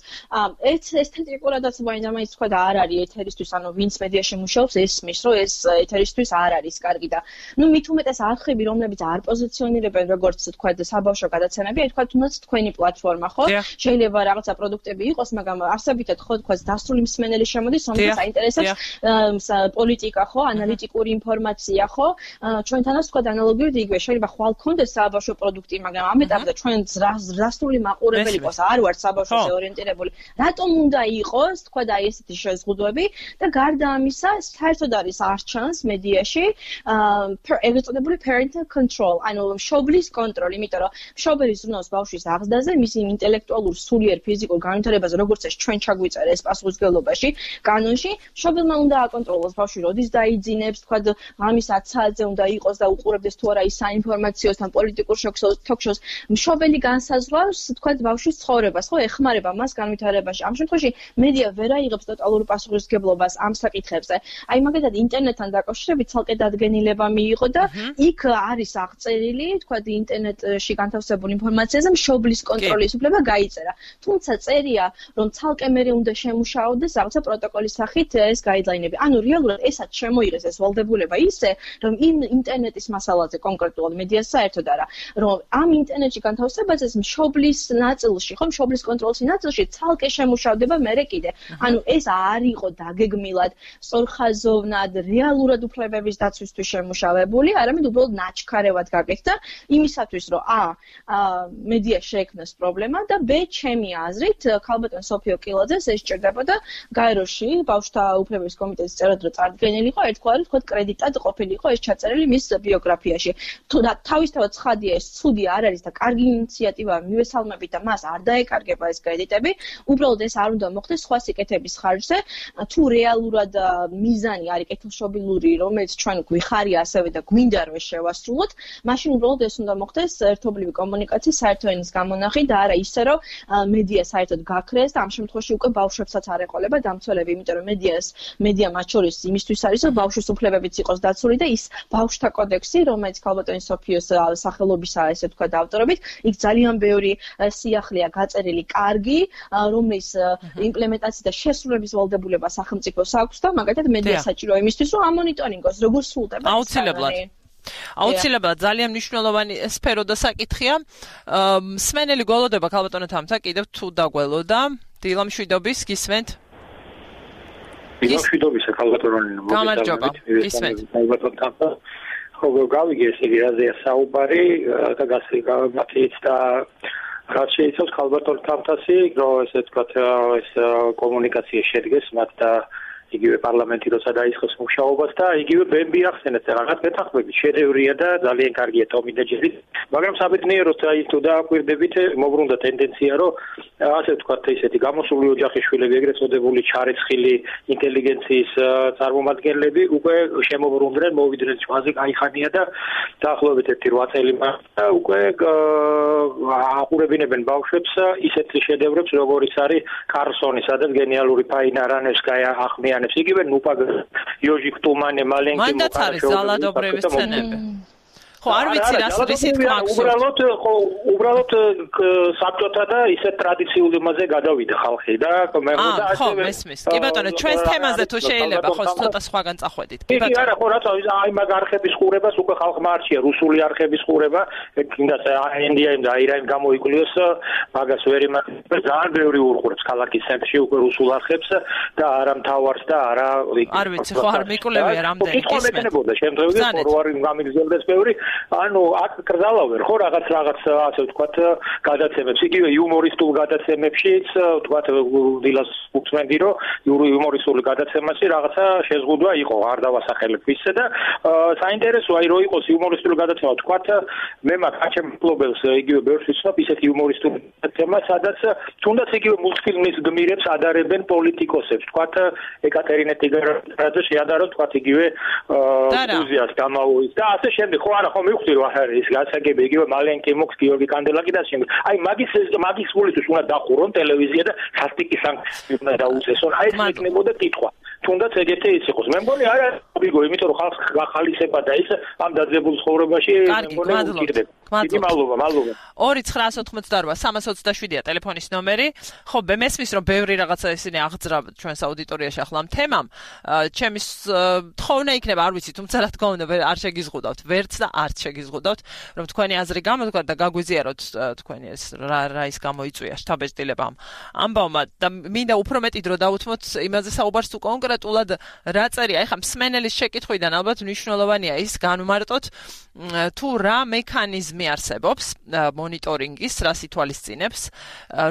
ეს ესთეტიკურადაც მაინც თქვა და არ არის ეთერისთვის, ანუ ვინც მედიაში მუშაობს, ესმის, რომ ეს ეთერისთვის არ არის კარგი და ნუ მით უმეტეს არხები რომლებიც არ პოზიციონირებენ როგორც თქვა საბავშვო გადაცემები აი თქვა თუნდაც თქვენი პლატფორმა ხო შეიძლება რაღაცა პროდუქტები იყოს მაგრამ არსებითად ხო თქვა დასრული მსმენელი შემოდის რომელსაც აინტერესებს პოლიტიკა ხო ანალიტიკური ინფორმაცია ხო ჩვენთანაც თქვა ანალოგიურად იგივე შეიძლება ხვალ კონდეს საბავშვო პროდუქტი მაგრამ ამ ეტაპზე ჩვენ დასრული მაყურებელი იყოს არ ვართ საბავშვოზე ორიენტირებული რატომ უნდა იყოს თქვა და აი ესეთი შეზღუდვები და გარდა ამისა საერთოდ არის არჩევანს მედიაში ეგრეთ წოდებული parental control ანუ მშობლის კონტროლი იმიტომ რომ მშობელი ზრუნავს ბავშვის აღზრდაზე მისი ინტელექტუალურ სულიერ ფიზიკურ განვითარებაზე როგორც ეს ჩვენ ჩაგვიწერა ეს პასუხისმგებლობაში კანონში მშობელმა უნდა აკონტროლოს ბავშვი როდის დაიძინებს თქვა ღამის ათ საათზე უნდა იყოს და უყურებდეს თუ არა ის საინფორმაციოს თან პოლიტიკურ თოქ-შოუს მშობელი განსაზღვრავს თქვა ბავშვის ცხოვრებას ხო ეხმარება მას განვითარებაში ამ შემთხვევაში მედია ვერ აიღებს ტოტალურ პასუხისმგებლობას ამ საკითხებზე აი მაგალითად ინტერნეტთან დაკავშირებით ცალკე დადგენილება მიიღო და იქ არის აღწერილი თქვა ინტერნეტში განთავსებულ ინფორმაციაზე მშობლის კონტროლის უფლება გაიწერა თუმცა წერია რომ ცალკე მერე უნდა შემუშავდეს რაღაცა პროტოკოლის სახით ეს გაიდლაინები ანუ რეალურად ესაც შემოიღეს ეს ვალდებულება ისე რომ იმ ინტერნეტის მასალაზე კონკრეტულად მედიას საერთოდ არა რომ ამ ინტერნეტში განთავსებაზე მშობლის ნაწილში ხო მშობლის კონტროლის ნაწილში ცალკე შემუშავდება მერე კიდე ანუ ეს არ იყო დაგეგმილად სწორხაზოვნად რეალურად უფლებების დაცვისთვის შემუშავებული არამედ უბრალოდ ნაჩქარევად გაკეთდა იმისათვის რომ ა მედია შეექმნას პრობლემა და ბ ჩემი აზრით ქალბატონ სოფიო კილაძეს ეს სჭირდებოდა გაეროში ბავშვთა უფლებების კომიტეტის წევრად რო წარდგენილიყო ერთგვარი თქო კრედიტად ყოფილიყო ეს ჩაწერილი მის ბიოგრაფიაში თუ თავისთავად ცხადია ეს ცუდი არ არის და კარგი ინიციატივაა მივესალმებით და მას არ დაეკარგება ეს კრედიტები უბრალოდ ეს არ უნდა მოხდეს სხვა სიკეთების ხარჯზე თუ რეალურად მიზანი არის კეთილშობილური რომელიც ჩვენ გვიხარია ასევე და გვინდა რომ შევასრულოთ მაშინ უბრალოდ ეს უნდა მოხდეს ერთობლივი კომუნიკაციის საერთო ენის გამონახით და არა ისე რომ მედია საერთოდ გაქრეს და ამ შემთხვევაში უკვე ბავშვებსაც არ ეყოლება დამცველები იმიტომ რომ მედიას მედია მათ შორის იმისთვის არის რომ ბავშვის უფლებებიც იყოს დაცული და ის ბავშვთა კოდექსი რომელიც ქალბატონი სოფიოს სახელობისაა ესე თქვა ავტორობით იქ ძალიან ბევრი სიახლეა გაწერილი კარგი რომლის იმპლემენტაციის და შესრულების ვალდებულება სახელმწიფოს აქვს და მაგალითად მედია საჭიროა იმისთვის რომ ამონიტორინგოს როგორ სრულდება აუცილებლად აუცილებლად ძალიან მნიშვნელოვანი სფერო და საკითხია მსმენელი გველოდება ქალბატონო თამთა კიდევ თუ დაგველოდა დილა მშვიდობის გისმენთ მშვიდობისა ქალბატონო გამარჯობა გისმენთ ქალბატონო თამთა ხო გავიგე ესე იგი რაზეა საუბარი და გასაგებია და რაც შეიძლება ქალბატონ თამთასი რომ ესე თქვა ეს კომუნიკაცია შედგეს მათ და იგივე პარლამენტი როცა დაიწყოს მუშაობას და იგივე ბემბი ახსენეთ რაღაც მეთანხმებით შედევრია და ძალიან კარგია ტომი და ჯერი მაგრამ საბედნიეროდ აი თუ დააკვირდებით მოგრუნდა ტენდენცია რომ ასე ვთქვათ ისეთი გამოსული ოჯახის შვილები ეგრეთ წოდებული ჩარეცხილი ინტელიგენციის წარმომადგენლები უკვე შემოვრუნდნენ მოვიდნენ ჩვენზე кайხანია და დაახლოებით ერთი რვა წელი და უკვე აყურებინებენ ბავშვებს ისეთ შედევრებს როგორიც არის კარლსონი სადაც გენიალური ფაინა რანევსკაია ახმიანებს იგივე ნუპა იოჟიკ ტუმანე მალენკი მანდაც არის ზალადობრების სცენები ხო არ ვიცი რას რისით მაქვს უბრალოდ უბრალოდ საბჭოთა და ისე ტრადიციული მასზე გადავიდა ხალხი და მე მგონი და ხო მესმის კი ბატონო ჩვენს თემაზე თუ შეიძლება ხო ცოტა სხვაგან წახვედით კი ბატონო კი არა ხო რა აი მაგ არხების ყურებას უკვე ხალხმა არჩია რუსული არხების ყურება კიდაც ინდიაიმ და აირაიმ გამოიკვლიოს მაგას ვერ იმართება ძალიან ბევრი უყურებს ქალაქის ცენტრში უკვე რუსულ არხებს და არა მთავარს და არა არ ვიცი ხო არ მიკვლევია რამდენი გისმენთ შემთხვევაში ფორვარი გამიგზელდეს ბევრი ანუ აქ კრძალავენ ხო რაღაც რაღაც ასე ვთქვათ გადაცემებს იგივე იუმორისტულ გადაცემებშიც ვთქვათ დილას უწმენდი რომ იუმორისტული გადაცემაში რაღაცა შეზღუდვა იყო არ დავასახელებ ისე და საინტერესოა რომ იყოს იუმორისტული გადაცემა ვთქვათ მე მაგ აჩემფლობელს იგივე ბევრს ვიცნობ ისეთი იუმორისტული გადაცემა სადაც თუნდაც იგივე მულტფილმის გმირებს ადარებენ პოლიტიკოსებს ვთქვათ ეკატერინე ტიგრაძე შეადარო ვთქვათ იგივე გუზიას გამაუის და ასე შემდეგ ხო არა ხო მივხვდი რომ არის გასაგები იგივე მალენკი მოქს გიორგი კანდელაკი და შემდეგ აი მაგის მაგის გულისთვის უნდა დახურონ ტელევიზია და სასტიკი სანქციები უნდა დაუწესონ აი ეს იქნებოდა კითხვა თუნდაც ეგეთი ის იყოს. მე მგონი არა ვიგო, იმიტომ რომ ხალხს გახალისება და ის ამ დაძაბულ ცხოვრებაში მე მგონი უკიდდება. დიდი მადლობა, მადლობა. ორი ცხრაას ოთხმოცდაორვა სამას ოცდაშვიდია ტელეფონის ნომერი. ხო, მე მესმის რომ ბევრი რაღაცა ისინი აღძრა ჩვენს აუდიტორიაში ახლა ამ თემამ. ჩემი თხოვნა იქნება, არ ვიცი, თუმცა რა თქმა უნდა არ შეგიზღუდავთ, ვერც და არც შეგიზღუდავთ, რომ თქვენი აზრი გამოდგათ და გაგვიზიაროთ თქვენი ეს რა რა ის გამოიწვია შთაბეჭდილებამ. ამბავმა და მინდა უფრო მეტი დრო დავუთმოთ იმაზე საუბარს თუ კონკრეტულად რა წერია. ეხლა მსმენელის შეკითხვიდან ალბათ მნიშვნელოვანია ის განვმარტოთ თუ რა მექანიზმი არსებობს მონიტორინგის, რას ითვალისწინებს,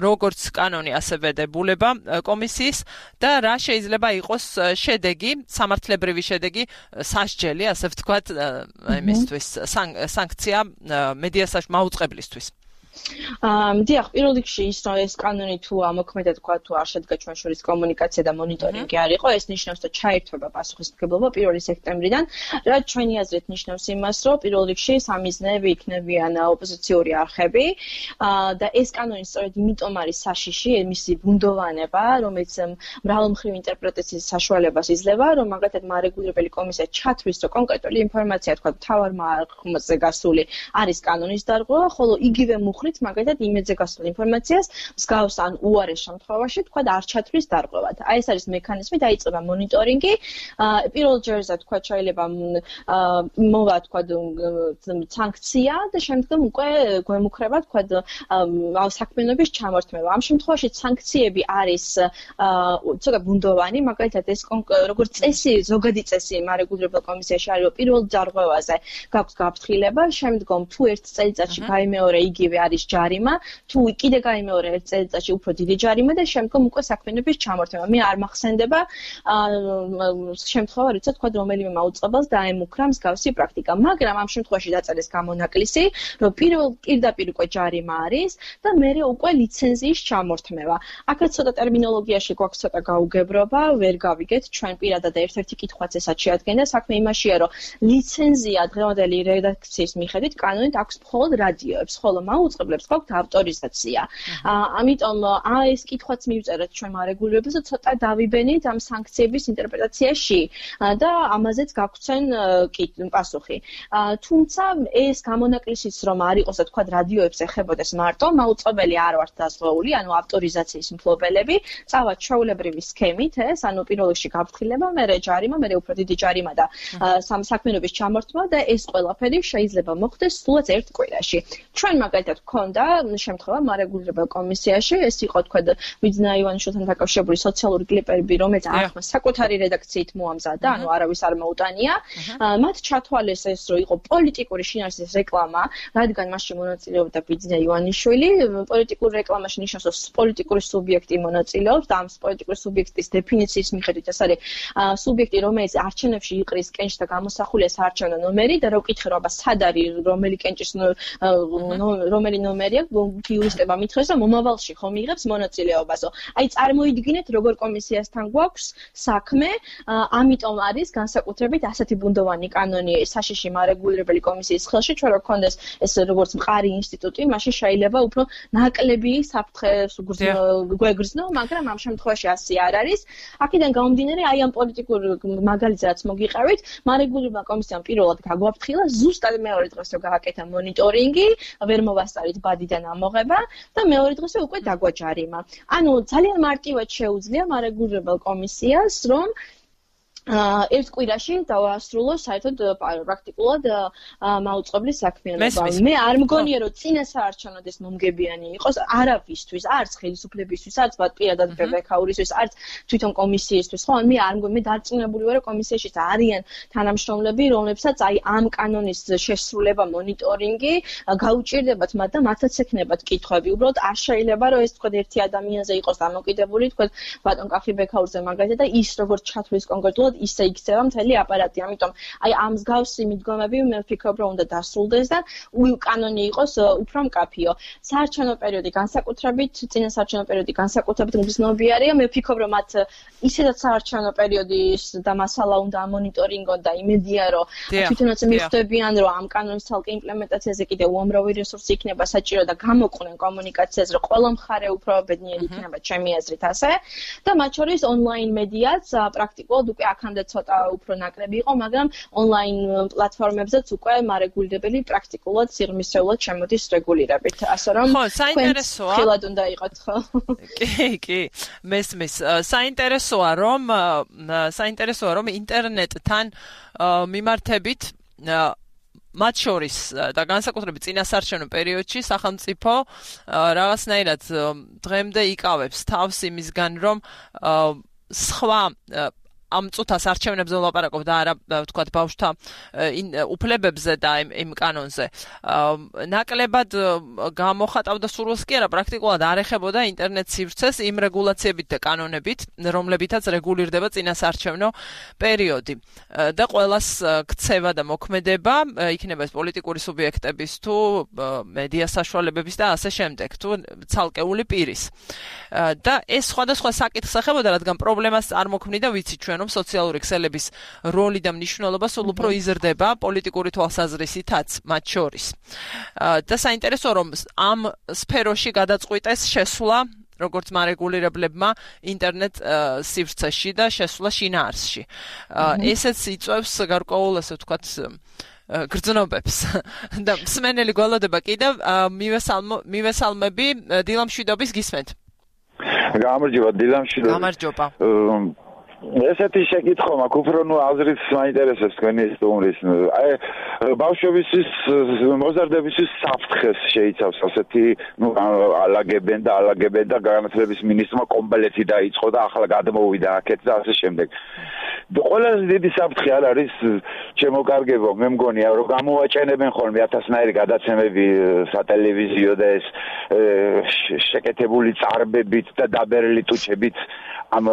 როგორც კანონი, ასევე დებულება კომისიის და რა შეიძლება იყოს შედეგი, სამართლებრივი შედეგი, სასჯელი, ასე ვთქვათ, იმისთვის, სანქცია მედიასაშ მაუწყებლისთვის. დიახ, პირველ რიგში ის რომ ეს კანონი თუ ამოქმედად თქვა თუ არ შედგა ჩვენ შორის კომუნიკაცია და მონიტორინგი არ იყო, ეს ნიშნავს და ჩაერთვება პასუხისმგებლობა პირველი სექტემბრიდან, რაც ჩვენი აზრით ნიშნავს იმას, რომ პირველ რიგში სამიზნეები იქნებიან ოპოზიციური არხები და ეს კანონი სწორედ იმიტომ არის საშიში, მისი ბუნდოვანება, რომელიც მრავალმხრივ ინტერპრეტაციის საშუალებას იძლევა, რომ მაგალითად მარეგულირებელი კომისია ჩათვლის, რომ კონკრეტული ინფორმაცია თქვა თავარმა არხზე გასული არის კანონის დარღვევა, ხოლო იგივე მუხლით მაგალითად იმედზე გასულ ინფორმაციას მსგავს ან უარეს შემთხვევაში თქვა არ ჩათვლის დარღვევად. აი ეს არის მექანიზმი, დაიწყება მონიტორინგი. პირველ ჯერზე თქვა შეიძლება მოვა თქვა სანქცია და შემდგომ უკვე გვემუქრება თქვა საქმიანობის ჩამორთმევა. ამ შემთხვევაში სანქციები არის ცოტა ბუნდოვანი, მაგალითად ეს როგორც წესი, ზოგადი წესი მარეგულირებელ კომისიაში არის, რომ პირველ დარღვევაზე გაქვს გაფრთხილება, შემდგომ თუ ერთ წელიწადში გაიმეორე იგივე არის ჯარიმა, თუ კიდე გაიმეორე ერთ წელიწადში უფრო დიდი ჯარიმა და შემდგომ უკვე საქმიანობის ჩამორთმევა. მე არ მახსენდება შემთხვევა, როცა თქვა რომელიმე მაუწყებელს დაემუქრა მსგავსი პრაქტიკა, მაგრამ ამ შემთხვევაში დაწერეს გამონაკლისი, რომ პირველ პირდაპირ უკვე ჯარიმა არის და მერე უკვე ლიცენზიის ჩამორთმევა. აქაც ცოტა ტერმინოლოგიაში გვაქვს ცოტა გაუგებრობა, ვერ გავიგეთ ჩვენ პირადად ერთ-ერთი კითხვაც ესაც შეადგენდა, საქმე იმაშია, რომ ლიცენზია დღევანდელი რედაქციის მიხედვით კანონით აქვს მხოლოდ რადიოებს, ხოლო მაუწყებლებს გვაქვს ავტორიზაცია. ამიტომ ეს კითხვაც მივწერეთ ჩვენ მარეგულირებელს და ცოტა დავიბენით ამ სანქციების ინტერპრეტაციაში და ამაზეც გაგვცენ პასუხი. თუმცა ეს გამონაკლისიც რომ არ იყოს და თქვა რადიოებს ეხებოდეს მარტო, მაუწყებელი არ ვართ დაზღვეული, ანუ ავტორიზაციის მფლობელები, წავათ ჩვეულებრივი სქემით, ეს ანუ პირველ რიგში გაფრთხილება, მერე ჯარიმა, მერე უფრო დიდი ჯარიმა და საქმიანობის ჩამორთმევა და ეს ყველაფერი შეიძლება მოხდეს სულაც ერთ კვირაში. ჩვენ მაგალითად გქონდა შემთხვევა მარეგულირებელ კომისიაში, ეს იყო თქვა ვიძნა ივანიშვილთან დაკავშირებული სოციალური კლიპები, რომელიც ახლა საკუთარი რედაქციით მოამზადა, ანუ არავის არ მოუტანია. მათ ჩათვალეს ეს, რომ იყო პოლიტიკური შინაარსის რეკლამა, რადგან მასში მონაწილეობდა ვიძნა ივანიშვილი, პოლიტიკურ რეკლამაში ნიშნავს, რომ პოლიტიკური სუბიექტი მონაწილეობს და ამ პოლიტიკური სუბიექტის დეფინიციის მიხედვით ეს არის სუბიექტი, რომელიც არჩევნებში იყრის კენჭს და გამოსახულია საარჩევნო ნომერი და რო ვკითხე, რომ აბა სად არის რომელი კენჭის რომელი ნომერია, იურისტებმა მითხრეს, რომ მომავალში ხომ იღებს მონაწილეობასო. აი წარმოიდგინეთ, როგორ კომისიასთან გვაქვს საქმე, ამიტომ არის განსაკუთრებით ასეთი ბუნდოვანი კანონი საშიში მარეგულირებელი კომისიის ხელში, ჩვენ რო გქონდეს ეს როგორც მყარი ინსტიტუტი, მაშინ შეიძლება უფრო ნაკლები საფრთხეს გვეგრძნო, მაგრამ ამ შემთხვევაში ასე არ არის. აქედან გამომდინარე, აი ამ პოლიტიკურ მაგალითს რაც მოგიყევით, მარეგულირებელმა კომისიამ პირველად გაგვაფრთხილა, ზუსტად მეორე დღეს რო გააკეთა მონიტორინგი, ვერ მოვასწარით ბადიდან ამოღება და მეორე დღესე უკვე დაგვაჯარიმა. ანუ ძალიან მარტივად შეუძლია მარეგულირებელ კომისიას, რომ ერთ კვირაში დავასრულოს საერთოდ პრაქტიკულად მაუწყებლის საქმიანობა. მე არ მგონია, რომ წინა საარჩევნოდ ეს მომგებიანი იყოს არავისთვის, არც ხელისუფლებისთვის, არც პირადად ბექაურისთვის, არც თვითონ კომისიისთვის. ხო, მე არ მგონია, მე დარწმუნებული ვარ, რომ კომისიაში არიან თანამშრომლები, რომლებსაც აი ამ კანონის შესრულება, მონიტორინგი გაუჭირდებათ მათ და მათაც ექნებათ კითხვები. უბრალოდ არ შეიძლება, რომ ეს თქვა ერთი ადამიანზე იყოს დამოკიდებული, თქვა ბატონ კახი ბექაურზე მაგალითად და ის როგორც ჩათვლის კონკრეტულად უბრალოდ ისე იქცევა მთელი აპარატი. ამიტომ აი ამ მსგავსი მიდგომები მე ვფიქრობ, რომ უნდა დასრულდეს და კანონი იყოს უფრო მკაფიო. საარჩევნო პერიოდი განსაკუთრებით, წინასაარჩევნო პერიოდი განსაკუთრებით მგრძნობიარეა. მე ვფიქრობ, რომ მათ ისედაც საარჩევნო პერიოდის და მასალა უნდა ამონიტორინგონ და იმედია, რომ თვითონაც მიხვდებიან, რომ ამ კანონის ცალკე იმპლემენტაციაზე კიდევ უამრავი რესურსი იქნება საჭირო და გამოყვნენ კომუნიკაციაზე, რომ ყველა მხარე უფრო ბედნიერი იქნება, ჩემი აზრით ასე. და მათ შორის ონლაინ მედიაც პრაქტიკულად უკვე აქამდე ცოტა უფრო ნაკლები იყო, მაგრამ ონლაინ პლატფორმებზეც უკვე მარეგულირებელი პრაქტიკულად სიღრმისეულად შემოდის რეგულირებით. ასე რომ ხო, საინტერესოა. ხილად უნდა იყოთ, ხო? კი, კი. მესმის. საინტერესოა, რომ საინტერესოა, რომ ინტერნეტთან მიმართებით მათ შორის და განსაკუთრებით წინასაარჩევნო პერიოდში სახელმწიფო რაღაცნაირად დღემდე იკავებს თავს იმისგან, რომ სხვა ამ წუთას არჩევნებზე ვლაპარაკობ და არა ვთქვათ ბავშვთა უფლებებზე და იმ კანონზე. ნაკლებად გამოხატავდა სურვილს კი არა, პრაქტიკულად არ ეხებოდა ინტერნეტ სივრცეს იმ რეგულაციებით და კანონებით, რომლებითაც რეგულირდება წინასაარჩევნო პერიოდი. და ყველას ქცევა და მოქმედება, იქნება ეს პოლიტიკური სუბიექტების თუ მედია საშუალებების და ასე შემდეგ, თუ ცალკეული პირის. და ეს სხვადასხვა საკითხს ეხებოდა, რადგან პრობლემას არ მოქმნიდა, ვიცი ჩვენ რომ სოციალური ქსელების როლი და მნიშვნელობა სულ უფრო იზრდება პოლიტიკური თვალსაზრისითაც მათ შორის. და საინტერესოა, რომ ამ სფეროში გადაწყვიტეს შესვლა როგორც მარეგულირებლებმა ინტერნეტ სივრცეში და შესვლა შინაარსში. ესეც იწვევს გარკვეულ, ასე ვთქვათ, გრძნობებს. და მსმენელი გველოდება კიდევ მივესალმები დილა მშვიდობის გისმენთ. გამარჯობა დილა მშვიდობა. გამარჯობა. ესეთი შეკითხვა მაქვს, უფრო ნუ აზრით მაინტერესებს თქვენი სტუმრის. აი ბავშვებისთვის მოზარდებისთვის საფრთხეს შეიცავს ასეთი, ნუ ალაგებენ და ალაგებენ და განათლების მინისტრმა კომპლეტი დაიწყო და ახლა გადმოვიდა აქეთ და ასე შემდეგ. ყველაზე დიდი საფრთხე არ არის ჩემოკარგებო, მე მგონია რომ გამოვაჭენებენ ხოლმე ათასნაირი გადაცემები სატელევიზიო და ეს შეკეთებული წარბებით და დაბერილი ტუჩებით ამ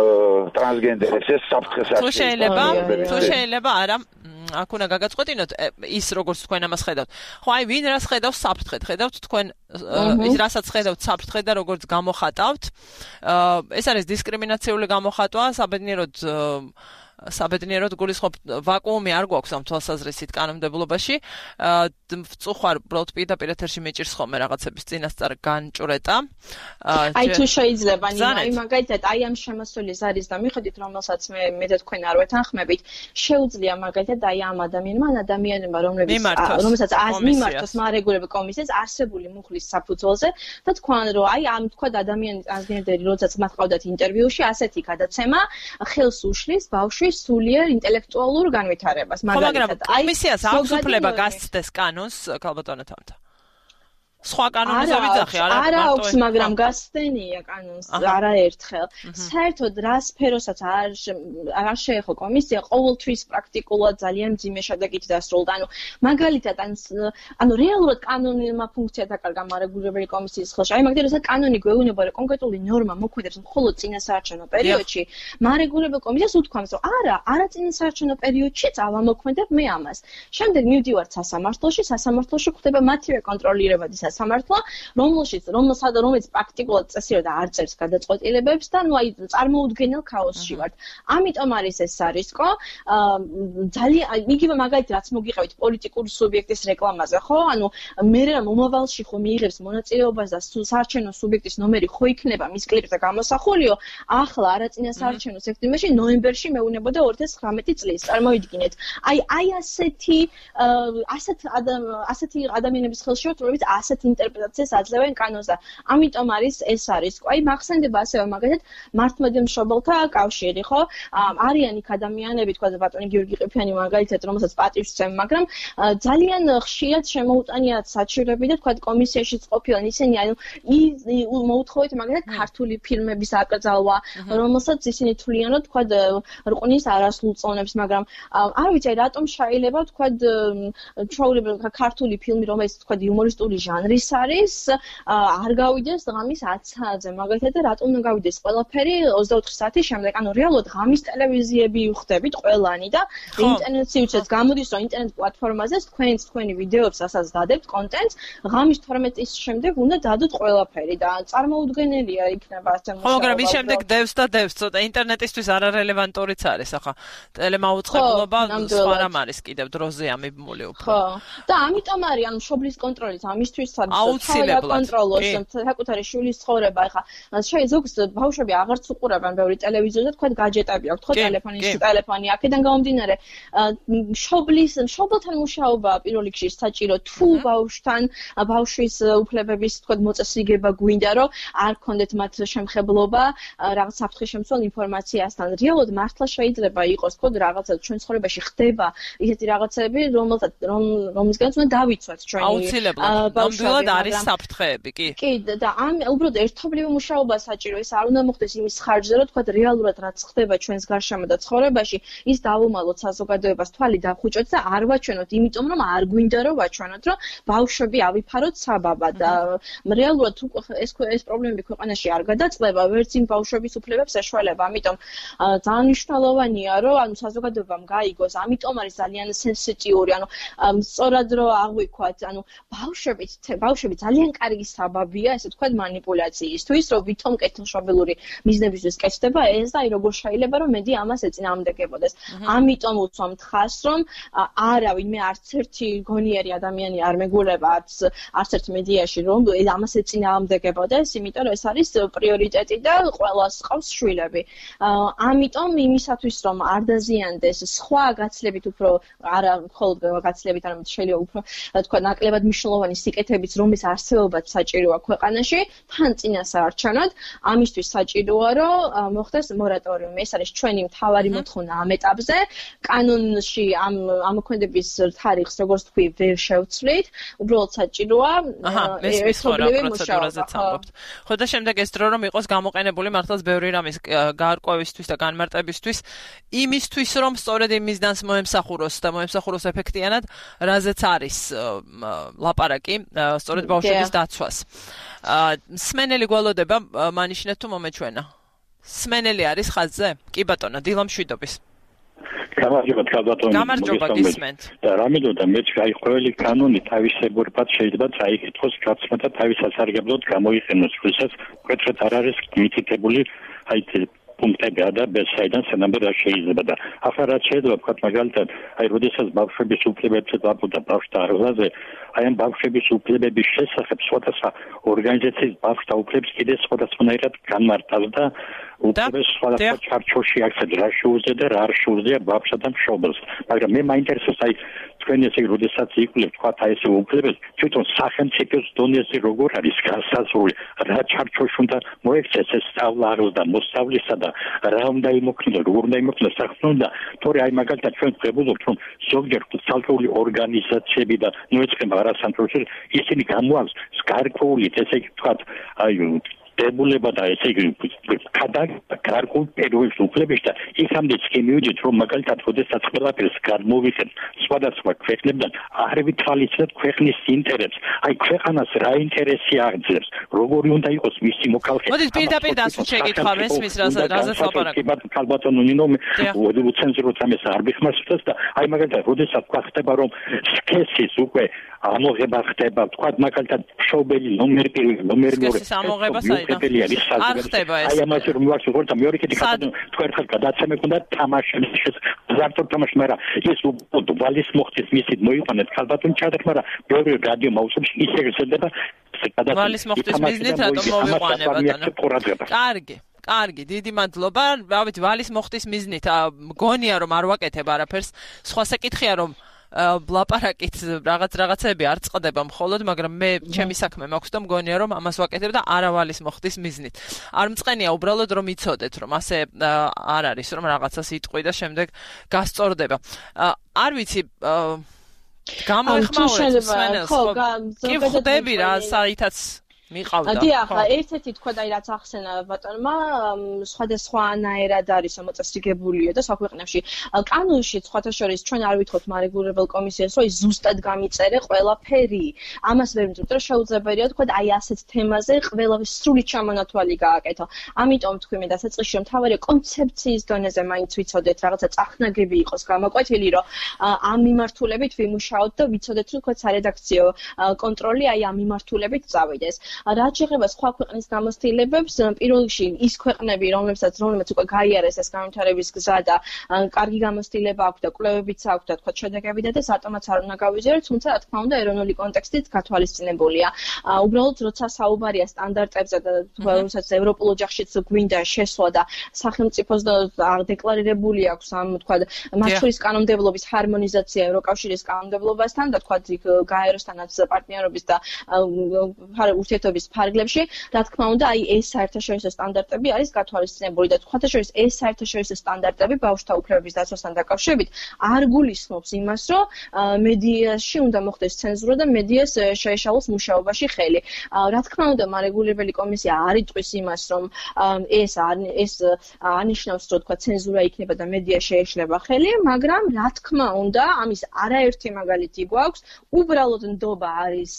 ტრანსგენდერებს ეს საფრთხეს არ თუ შეიძლება თუ შეიძლება არა აქ უნდა გაგაწყვეტინოთ ის როგორც თქვენ ამას ხედავთ. ხო აი ვინ რას ხედავს საფრთხედ? ხედავთ თქვენ ის რასაც ხედავთ საფრთხედ და როგორც გამოხატავთ. ეს არის დისკრიმინაციული გამოხატვა, საბედნიეროდ საბედნიეროდ გულისხმობ ვაკუუმი არ გვაქვს ამ თვალსაზრისით კანონმდებლობაში. ვწუხარ უბრალოდ პირდაპირ ეთერში მეჭირს ხოლმე რაღაცების წინასწარ განჭრეტა. აი თუ შეიძლება აი მაგალითად აი ამ შემოსულის არის და მიხედით რომელსაც მე მე და თქვენ არ ვეთანხმებით, შეუძლია მაგალითად აი ამ ადამიანმა ადამიანებმა რომლებიც რომელსაც მიმართოს მარეგულირებელ კომისიას არსებული მუხლის საფუძველზე და თქვან რომ აი ამ თქვა ადამიანის ტრანსგენდერი როდესაც მათ ყავდათ ინტერვიუში ასეთი გადაცემა ხელს უშლის ბავშვის სულიერ ინტელექტუალურ განვითარებას. მაგალითად აი კომისიას აქვს უფლება გასცდეს კანონს ქალბატონო თამთა. სხვა კანონზე ვიძახი არა არა აქვს, მაგრამ გასცდენია კანონს არაერთხელ. საერთოდ რა სფეროსაც არ არ შეეხო კომისია, ყოველთვის პრაქტიკულად ძალიან მძიმე შედეგით დასრულდა. ანუ მაგალითად ანუ რეალურად კანონმა ფუნქცია დაკარგა მარეგულირებელი კომისიის ხელში. აი მაგალითად როცა კანონი გვეუბნება რომ კონკრეტული ნორმა მოქმედებს მხოლოდ წინასაარჩევნო პერიოდში, მარეგულირებელ კომისიას უთქვამს რომ არა, არა წინასაარჩევნო პერიოდშიც ავამოქმედებ მე ამას. შემდეგ მივდივართ სასამართლოში, სასამართლოში ხდება მათივე კონტროლირებადი სამართლა, რომელშიც რომელსა და რომელიც პრაქტიკულად წესიერ და არ წერს გადაწყვეტილებებს და ნუ აი წარმოუდგენელ ქაოსში ვართ. ამიტომ არის ეს არისკო. ძალიან იგივე მაგალითად რაც მოგიყევით პოლიტიკური სუბიექტის რეკლამაზე, ხო? ანუ მე რა მომავალში ხო მიიღებს მონაწილეობას და საარჩევნო სუბიექტის ნომერი ხო იქნება მის კლიპზე გამოსახულიო, ახლა არა წინასაარჩევნო სექტემბერში, ნოემბერში მეუნებოდა ორი ათას ცხრამეტი წლის. წარმოიდგინეთ. აი აი ასეთი ასეთ ასეთი ადამიანების ხელში ვართ, რომლებიც ასეთ ინტერპრეტაციას აძლევენ კანონს და ამიტომ არის ეს არის. აი მახსენდება ასევე მაგალითად მართლმადიდებლ მშობელთა კავშირი, ხო? არიან იქ ადამიანები, თქვა ბატონი გიორგი ყიფიანი მაგალითად, რომელსაც პატივს ვცემ, მაგრამ ძალიან ხშირად შემოუტანიათ საჩივრები და თქვა კომისიაშიც ყოფილან ისინი ანუ მოუთხოვეთ მაგალითად ქართული ფილმების აკრძალვა, რომელსაც ისინი თვლიან რომ თქვა რყნის არასრულ წონებს, მაგრამ არ ვიცი რატომ შეიძლება თქვა ჩვეულებრივ ქართული ფილმი, რომელიც თქვა იუმორისტული ჟანრი რის არის არ გავიდეს ღამის ათი საათზე მაგალითად და რატომ უნდა გავიდეს ყველაფერი ოცდაოთხი საათის შემდეგ ანუ რეალურად ღამის ტელევიზიები ვხვდებით ყველანი და ინტერნეტში უცეთ გამოდის რომ ინტერნეტ პლატფორმაზე თქვენს თქვენი ვიდეოებს ასაც დადებთ კონტენტს ღამის თორმეტი წლის შემდეგ უნდა დადოთ ყველაფერი და წარმოუდგენელია იქნება ასე მუშაობა. ხო, მაგრამ ის შემდეგ დევს და დევს, ცოტა ინტერნეტისთვის არარელევანტურიც არის, ახლა ტელემაუწყებლობა სხვა რამ არის კიდევ დროზე ამიბმული უფრო. ხო. და ამიტომ არის ანუ მშობლის კონტროლიც ამისთვის აუცილებლად კონტროლოს საკუთარი შვილის ცხოვრება, ახლა ზოგს ბავშვები აღარც უყურებენ ბევრი ტელევიზორს და თქვა გაჯეტები აქვთ, ხო ტელეფონი, ტელეფონი, აქედან გამომდინარე მშობლის მშობელთან მუშაობა პირველ რიგში საჭირო თუ ბავშვთან ბავშვის უფლებების თქვა მოწესრიგება გვინდა რომ არ გქონდეთ მათ შემხებლობა რაღაც საფრთხის შემცველ ინფორმაციასთან. რეალურად მართლა შეიძლება იყოს თქო რაღაცა ჩვენ ცხოვრებაში ხდება ისეთი რაღაცები რომელსაც რომ რომისგანაც უნდა დავიცვათ ჩვენი აუცილებლად ნამდვილად არის საფრთხეები კი კი და ამ უბრალოდ ერთობლივი მუშაობა საჭირო ეს არ უნდა მოხდეს იმის ხარჯზე რომ თქვა რეალურად რაც ხდება ჩვენს გარშემო და ცხოვრებაში ის დავუმალოთ საზოგადოებას თვალი დახუჭოთ და არ ვაჩვენოთ იმიტომ რომ არ გვინდა რომ ვაჩვენოთ რომ ბავშვები ავიფაროთ საბაბად და რეალურად ეს ეს პრობლემები ქვეყანაში არ გადაწყდება ვერც იმ ბავშვების უფლებებს ეშველება ამიტომ ძალიან მნიშვნელოვანია რომ ანუ საზოგადოებამ გაიგოს ამიტომ არის ძალიან სენსიტიური ანუ სწორად რომ აღვიქვათ ანუ ბავშვები ბავშვები ძალიან კარგი საბაბია ესე თქვა მანიპულაციისთვის რომ ვითომ კეთილშობილური მიზნებისთვის კეთდება ეს და აი როგორ შეიძლება რომ მედი ამას ეწინააღმდეგებოდეს ამიტომ უცვამთ ხას რომ არავინ მე არც ერთი გონიერი ადამიანი არ მეგულება არც არც ერთ მედიაში რომ ამას ეწინააღმდეგებოდეს იმიტომ რომ ეს არის პრიორიტეტი და ყველას ყავს შვილები ამიტომ იმისათვის რომ არ დაზიანდეს სხვა გაცლებით უფრო არა მხოლოდ გაცლებით არამედ შეიძლება უფრო თქვა ნაკლებად მნიშვნელოვანი სიკეთებიც რომის არსებობაც საჭიროა ქვეყანაში თან წინასაარჩევნოდ ამისთვის საჭიროა რომ მოხდეს მორატორიუმი ეს არის ჩვენი მთავარი მოთხოვნა ამ ეტაპზე კანონში ამ ამოქმედების თარიღს როგორც თქვი ვერ შევცვლით უბრალოდ საჭიროა ერთობლივი მუშაობა ხო და შემდეგ ეს დრო რომ იყოს გამოყენებული მართლაც ბევრი რამის გაარკვევისთვის და განმარტებისთვის იმისთვის რომ სწორედ იმ მიზნს მოემსახუროს და მოემსახუროს ეფექტიანად რაზეც არის ლაპარაკი სწორედ ბავშვების დაცვას სმენელი გველოდება მანიშნეთ თუ მომეჩვენა სმენელი არის ხაზზე კი ბატონო დილა მშვიდობის გამარჯობა ქალბატონო გამარჯობა გისმენთ და რამედოდა მე აი ყოველი კანონი თავისებურად შეიძლება წაიკითხოს გაცმა და თავის სასარგებლოდ გამოიყენოს როდესაც კეთრეთ არ არის მითითებული აი პუნქტები და ბესაიდან სანამ რა შეიძლება და ახლა რაც შეიძლება ვთქვათ მაგალითად აი როდესაც ბავშვების უფლებებზე დაბუდა ბავშვთა არღვაზე აი ამ ბავშვების უფლებების შესახებ სხვადასხვა ორგანიზაციის ბავშვთა უფლებს კიდე სხვადასხვანაირად განმარტავს და უფლებს სხვადასხვა ჩარჩოში აქცენტს რა შეუძლია და რა არ შეუძლია ბავშვსა და მშობელს მაგრამ მე მაინტერესებს აი თქვენ ესე როდესაც იკვლევთ თქვათ აი ეს უფლებებს თვითონ სახელმწიფოს დონეზე როგორ არის განსაზღვრული რა ჩარჩოში უნდა მოექცეს ეს სწავლა და მოსავლისა და რა უნდა იმოქმედოს როგორ უნდა იმოქმედოს საქმე და თორე აი მაგალითად ჩვენ ვღებულობთ რომ ზოგჯერ ცალკეული ორგანიზაციები და ნუ ეცხება არასანტროში ისინი გამოაქვს გარკვეული ესე ვთქვათ აი დებულება და ესე იგი გარკვეულ პერიოდს უფლებს და იქამდეც კი მივიდეთ რომ მაგალითად როდესაც ყველაფერს გადმოვიხენ სხვადასხვა ქვეყნებიდან არ ვითვალისწინებთ ქვეყნის ინტერესს აი ქვეყანას რა ინტერესი აღწევს როგორი უნდა იყოს მისი მოქალაქე მოდით პირდაპირ დასვით შეკითხვა მესმის რაზეც ლაპარაკი ქალბატონო ნინო უცენზუროთ ამას არ ბიხმასწრებს და აი მაგალითად როდესაც ხდება რომ სქესის უკვე ამოღება ხდება თქვა მაგალითად მშობელი ნომერ პირველი ნომერ მეორე სქესის ამოღება საერთოდ არ ხდება ეს აი ამას რომ ვარ შეგორდა მეორე კიდე ქალბატონო თქვენ ხალხ გადაცემე ქონდა თამაშის ზარტო თამაშ მაგრამ ეს უფრო ვალის მოხდეს მისით მოიყვანეთ ქალბატონი ჩადეთ მაგრამ ბევრი რადიო მაუსებს ისე გეცდება ვალის მოხდეს მიზნით რატომ მოვიყვანე ბატონო კარგი კარგი დიდი მადლობა რა ვიცი ვალის მოხდის მიზნით მგონია რომ არ ვაკეთებ არაფერს სხვა საკითხია რომ ლაპარაკით რაღაც რაღაცები არ წყდება მხოლოდ მაგრამ მე ჩემი საქმე მაქვს და მგონია რომ ამას ვაკეთებ და არავალის მოხდის მიზნით არ მწყენია უბრალოდ რომ იცოდეთ რომ ასე არ არის რომ რაღაცას იტყვი და შემდეგ გასწორდება არ ვიცი გამოეხმაურეთ სვენელს კი ხვდები რა საერთოდ მიყავდა. დიახ, ერთ-ერთი თქვა და რაც ახსენა ბატონმა, სხვადასხვანაირად არის მოწესრიგებულიო და საქვეყნებში. კანონში სხვათა შორის ჩვენ არ ვითხოვთ მარეგულირებელ კომისიას, რომ ის ზუსტად გამიწერე ყველაფერი. ამას ვერ ვიმძიმთ, რომ შეუძლებელია თქვა აი ასეთ თემაზე ყველაფერი სრული ჩამონათვალი გააკეთო. ამიტომ თქვი მე დასაწყისში რომ თავარი კონცეფციის დონეზე მაინც ვიცოდეთ, რაღაცა წახნაგები იყოს გამოკვეთილი, რომ ამ მიმართულებით ვიმუშაოთ და ვიცოდეთ, რომ თქვა სარედაქციო კონტროლი აი ამ მიმართულებით წავიდეს. რაც შეეხება სხვა ქვეყნის გამოცდილებებს, პირველ რიგში ის ქვეყნები, რომლებსაც რომლებიც უკვე გაიარეს ეს განვითარების გზა და კარგი გამოცდილება აქვს და კვლევებიც აქვს და თქვა შედეგები და სატომაც არ უნდა გავიზიაროთ, თუმცა რა თქმა უნდა ეროვნული კონტექსტით გათვალისწინებულია. უბრალოდ როცა საუბარია სტანდარტებზე და თუმცა ევროპულ ოჯახშიც გვინდა შესვლა და სახელმწიფოს დეკლარირებული აქვს ამ თქვა მათ შორის კანონმდებლობის ჰარმონიზაცია ევროკავშირის კანონმდებლობასთან და თქვა გაეროსთანაც პარტნიორობის და ურთიერთობის ფარგლებში, რა თქმა უნდა, აი ეს საერთაშორისო სტანდარტები არის გათვალისწინებული და თქვათა შორის ეს საერთაშორისო სტანდარტები ბავშვთა უფლებების დაცვასთან დაკავშირებით არ გულისხმობს იმას, რომ მედიაში უნდა მოხდეს ცენზურა და მედიას შეეშალოს მუშაობაში ხელი. რა თქმა უნდა, მარეგულირებელი კომისია არ იტყვის იმას, რომ ეს ეს ანიშნავს, რომ თქვა ცენზურა იქნება და მედია შეეშლება ხელი, მაგრამ რა თქმა უნდა, ამის არაერთი მაგალითი გვაქვს, უბრალოდ ნდობა არის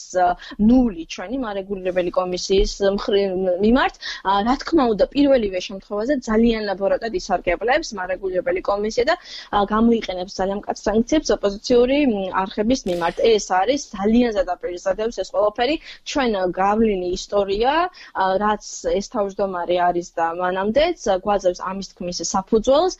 ნული ჩვენი მარეგულირებელი კომისიის მიმართ. რა თქმა უნდა, პირველივე შემთხვევაზე ძალიან ლაბორატად ისარგებლებს მარეგულირებელი კომისია და გამოიყენებს ძალიან მკაცრ სანქციებს ოპოზიციური არხების მიმართ. ეს არის ძალიან ზედაპირისადებს ეს ყველაფერი ჩვენ გავლილი ისტორია, რაც ეს თავმჯდომარე არის და მანამდეც გვაძლევს ამის თქმის საფუძველს.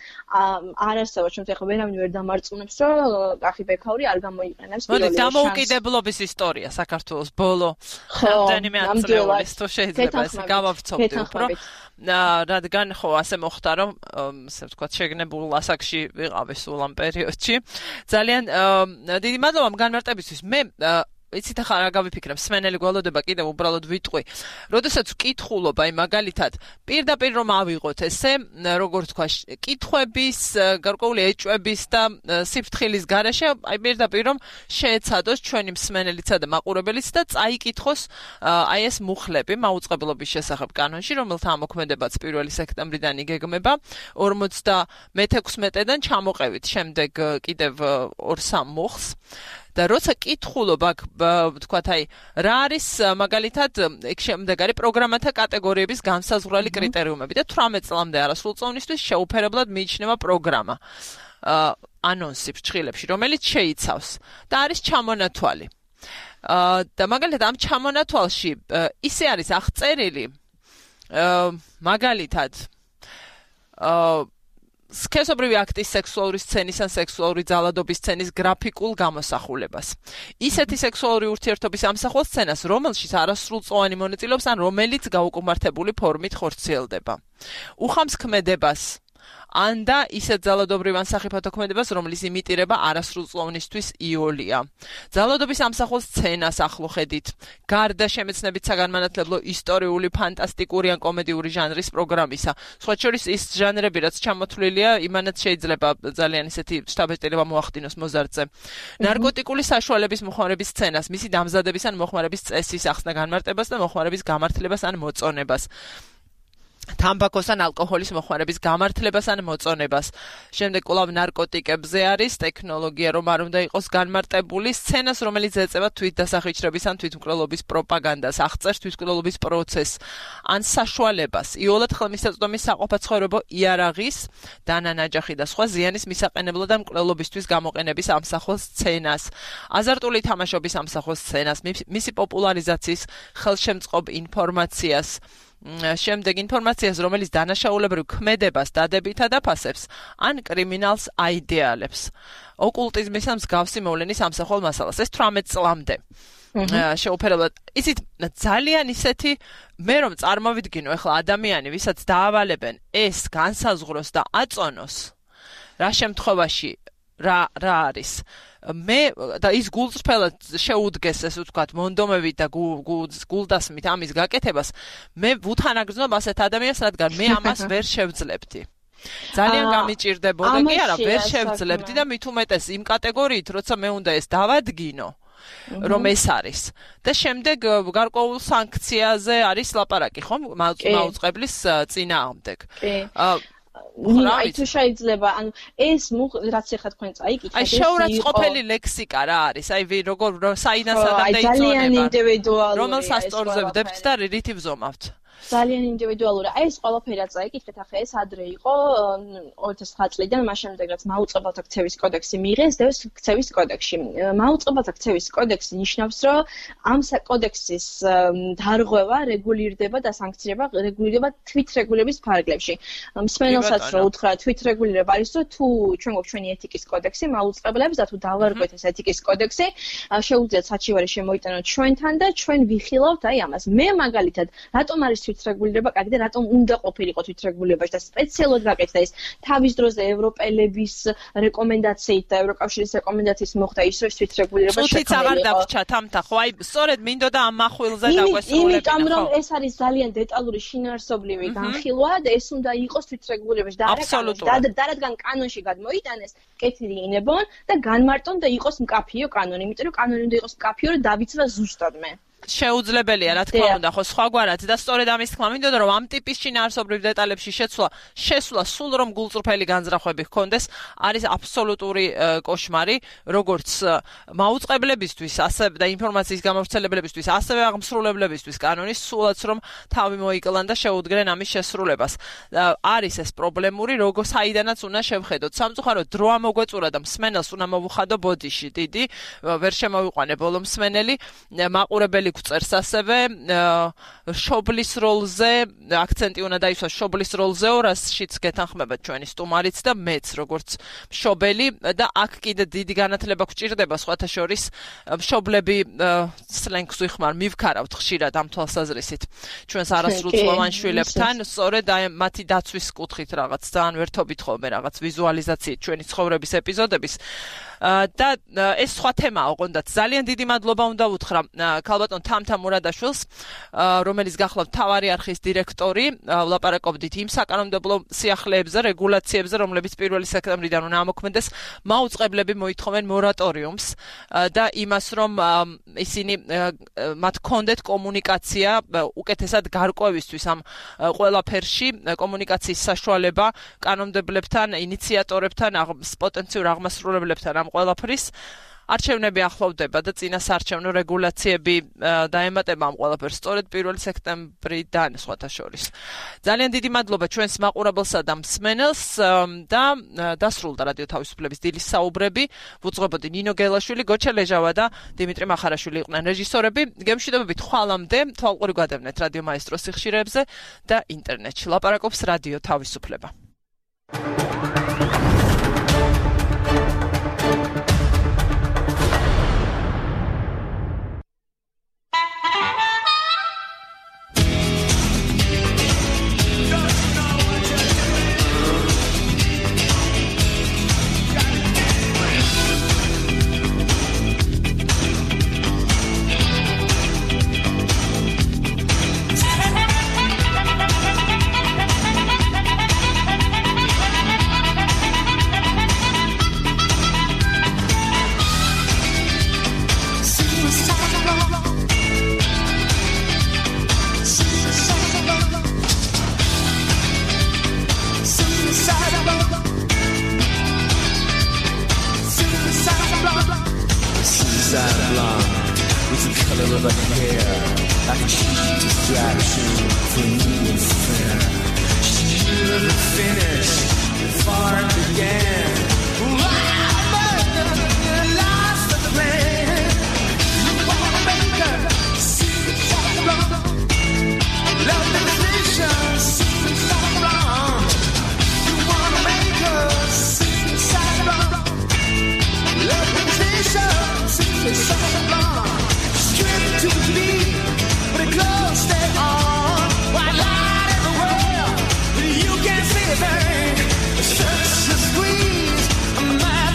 არ არსებობს ჩვენ ახლა ვერავინ ვერ დამარწმუნებს, რომ კახი ბექაური არ გამოიყენებს პირველი შანსი. დამოუკიდებლობის ისტორია საქართველოს ბოლო რამდენიმე ათწლეულის თუ შეიძლება ეს გავავრცობდი უფრო. რადგან ხო ასე მოხდა, რომ ასე ვთქვათ, შეგნებულ ასაკში ვიყავი სულ ამ პერიოდში. ძალიან დიდი მადლობა ამ განმარტებისთვის. მე იცით ახლა რა გავიფიქრებ, სმენელი გველოდება კიდევ უბრალოდ ვიტყვი. როდესაც ვკითხულობ, აი მაგალითად, პირდაპირ რომ ავიღოთ ესე, როგორ თქვა, კითხვების, გარკვეული ეჭვების და სიფრთხილის გარეშე, აი პირდაპირ რომ შეეცადოს ჩვენი მსმენელისა და მაყურებელიც და წაიკითხოს აი ეს მუხლები მაუწყებლობის შესახებ კანონში, რომელთა ამოქმედებაც პირველი სექტემბრიდან იგეგმება, ორმოცდამექვსმეტიდან ჩამოყევით შემდეგ კიდევ ორ-სამ მუხლს. და როცა კითხულობ აქ ვთქვათ აი რა არის მაგალითად ეგ შემდეგ არის პროგრამათა კატეგორიების განსაზღვრალი კრიტერიუმები და თვრამეტ წლამდე არასრულწლოვნისთვის შეუფერებლად მიიჩნევა პროგრამა ანონსი ფრჩხილებში რომელიც შეიცავს და არის ჩამონათვალი და მაგალითად ამ ჩამონათვალში ისე არის აღწერილი მაგალითად სქესობრივი აქტის სექსუალური სცენის ან სექსუალური ძალადობის სცენის გრაფიკულ გამოსახულებას. ისეთი სექსუალური ურთიერთობის ამსახველ სცენას, რომელშიც არასრულწლოვანი მონაწილეობს ან რომელიც გაუკმართებული ფორმით ხორციელდება. უხამს ქმედებას ან და ისეთ ძალადობრივ ან სახიფათო ქმედებას, რომლის იმიტირება არასრულწლოვნისთვის იოლია. ძალადობის ამსახველ სცენას ახლო ხედით, გარდა შემეცნებით საგანმანათლებლო ისტორიული, ფანტასტიკური ან კომედიური ჟანრის პროგრამისა. სხვა შორის ის ჟანრები, რაც ჩამოთვლილია, იმანაც შეიძლება ძალიან ისეთი შთაბეჭდილება მოახდინოს მოზარდზე. ნარკოტიკული საშუალების მოხმარების სცენას, მისი დამზადების ან მოხმარების წესის ახსნა განმარტებას და მოხმარების გამართლებას ან მოწონებას. თამბაქოს ან ალკოჰოლის მოხმარების გამართლებას ან მოწონებას. შემდეგ კვლავ ნარკოტიკებზე არის ტექნოლოგია, რომ არ უნდა იყოს განმარტებული სცენას, რომელიც ეწევა თვითდასახვიჩრების ან თვითმკვლელობის პროპაგანდას, აღწერს თვითმკვლელობის პროცესს ან საშუალებას, იოლად ხელმისაწვდომის საყოფაცხოვრებო იარაღის, დანანაჯახი და სხვა ზიანის მისაყენებლად და მკვლელობისთვის გამოყენების ამსახველ სცენას, აზარტული თამაშობის ამსახველ სცენას, მისი პოპულარიზაციის ხელშემწყობ ინფორმაციას. შემდეგ ინფორმაციას, რომელიც დანაშაულებრივ ქმედებას დადებითად აფასებს, ან კრიმინალს აიდეალებს. ოკულტიზმის ან მსგავსი მოვლენის ამსახველ მასალას. ეს თვრამეტ წლამდე. შეუფერებლად. იცით, ძალიან ისეთი მე რომ წარმოვიდგინო, ეხლა ადამიანი, ვისაც დაავალებენ ეს განსაზღვროს და აწონოს, რა შემთხვევაში რა რა არის? მე და ის გულწრფელად შეუდგეს ესე ვთქვათ მონდომებით და გულდასმით ამის გაკეთებას მე ვუთანაგრძნობ ასეთ ადამიანს რადგან მე ამას ვერ შევძლებდი ძალიან გამიჭირდებოდა კი არა ვერ შევძლებდი და მით უმეტეს იმ კატეგორიით როცა მე უნდა ეს დავადგინო რომ ეს არის. და შემდეგ გარკვეულ სანქციაზე არის ლაპარაკი, ხო? მაუწყებლის წინააღმდეგ. აი თუ შეიძლება ანუ ეს რაც ახლა თქვენ წაიკითხეთ აი შეურაცხყოფელი ლექსიკა რა არის აი როგორ საიდან სადამდე იწონება ძალიან ინდივიდუალური რომელ სასწორზე ვდებთ და რითი ვზომავთ ძალიან ინდივიდუალური. აი ეს ყველაფერი წაიკითხეთ, ახლა ეს ადრე იყო ორი ათას ცხრა წლიდან, მას შემდეგ რაც მაუწყებელთა ქცევის კოდექსი მიიღეს, დევს ქცევის კოდექსში. მაუწყებელთა ქცევის კოდექსი ნიშნავს, რომ ამ კოდექსის დარღვევა რეგულირდება და სანქცირება რეგულირდება თვითრეგულირების ფარგლებში. მსმენელსაც რო უთხრა თვითრეგულირება არის, რომ თუ ჩვენ გვაქვს ჩვენი ეთიკის კოდექსი მაუწყებლებს და თუ დავარღვევთ ეს ეთიკის კოდექსი, შეუძლიათ საჩივარი შემოიტანოთ ჩვენთან და ჩვენ ვიხილავთ აი ამას. მე მაგალითად, რატომ არის თვითრეგულირება კარგი და რატომ უნდა ყოფილიყო თვითრეგულირებაში და სპეციალურად გაკეთდა ეს თავის დროზე ევროპელების რეკომენდაციით და ევროკავშირის რეკომენდაციით მოხდა ის რომ თვითრეგულირება შექმნილიყო. თუთიც აღარ დაგვჭა თამთა ხო აი სწორედ მინდოდა ამ მახვილზე დაგვესრულებინა. იმიტომ რომ ეს არის ძალიან დეტალური შინაარსობრივი განხილვა და ეს უნდა იყოს თვითრეგულირებაში და არა და რადგან კანონში გადმოიტანეს კეთილი ინებონ და განმარტონ და იყოს მკაფიო კანონი, იმიტომ რომ კანონი უნდა იყოს მკაფიო რომ დავიცვა ზუსტად მე. შეუძლებელია რა თქმა უნდა ხო სხვაგვარად და სწორედ ამის თქმა მინდოდა რომ ამ ტიპის შინაარსობრივ დეტალებში შეცვლა შესვლა სულ რომ გულწრფელი განზრახვები ჰქონდეს არის აბსოლუტური კოშმარი როგორც მაუწყებლებისთვის ასე და ინფორმაციის გამავრცელებლებისთვის ასევე აღმსრულებლებისთვის კანონის სულაც რომ თავი მოიკლან და შეუდგნენ ამის შესრულებას არის ეს პრობლემური როგორ საიდანაც უნდა შევხედოთ სამწუხაროდ დრო ამოგვეწურა და მსმენელს უნდა მოვუხადო ბოდიში დიდი ვერ შემოვიყვანე ბოლო მსმენელი მაყურებელი წერს ასევე შობლის როლზე აქცენტი უნდა დაისვას შობლის როლზე ორასშიც გეთანხმება ჩვენი სტუმარიც და მეც როგორც მშობელი და აქ კიდე დიდი განათლება გვჭირდება სხვათა შორის მშობლები სლენგს ვიხმარ მივქარავთ ხშირად ამ თვალსაზრისით ჩვენს არასრულწლოვან შვილებთან სწორედ აი მათი დაცვის კუთხით რაღაც ძალიან ვერთობით ხოლმე რაღაც ვიზუალიზაციით ჩვენი ცხოვრების ეპიზოდების და ეს სხვა თემაა ოღონდაც ძალიან დიდი მადლობა უნდა უთხრა ქალბატონ თამთა მურადაშვილს რომელიც გახლავთ მთავარი არხის დირექტორი ვლაპარაკობდით იმ საკანონმდებლო სიახლეებზე რეგულაციებზე რომლებიც პირველი სექტემბრიდან უნდა ამოქმედდეს მაუწყებლები მოითხოვენ მორატორიუმს და იმას რომ ისინი მათ კონდეთ კომუნიკაცია უკეთესად გარკვევისთვის ამ ყველაფერში კომუნიკაციის საშუალება კანონმდებლებთან ინიციატორებთან პოტენციურ აღმასრულებლებთან ამ ყველაფრის არჩევნები ახლოვდება და წინასაარჩევნო რეგულაციები დაემატება ამ ყველაფერს სწორედ პირველი სექტემბრიდან სხვათა შორის. ძალიან დიდი მადლობა ჩვენს მაყურებელსა და მსმენელს და დასრულდა რადიო თავისუფლების დილის საუბრები. ვუძღვებოდი ნინო გელაშვილი, გოჩა ლეჟავა და დიმიტრი მახარაშვილი იყვნენ რეჟისორები. გემშვიდობებით ხვალამდე თვალყური გადავნეთ რადიო მაესტროს სიხშირეებზე და ინტერნეტში. ლაპარაკობს რადიო თავისუფლება. Such a squeeze, I'm mad.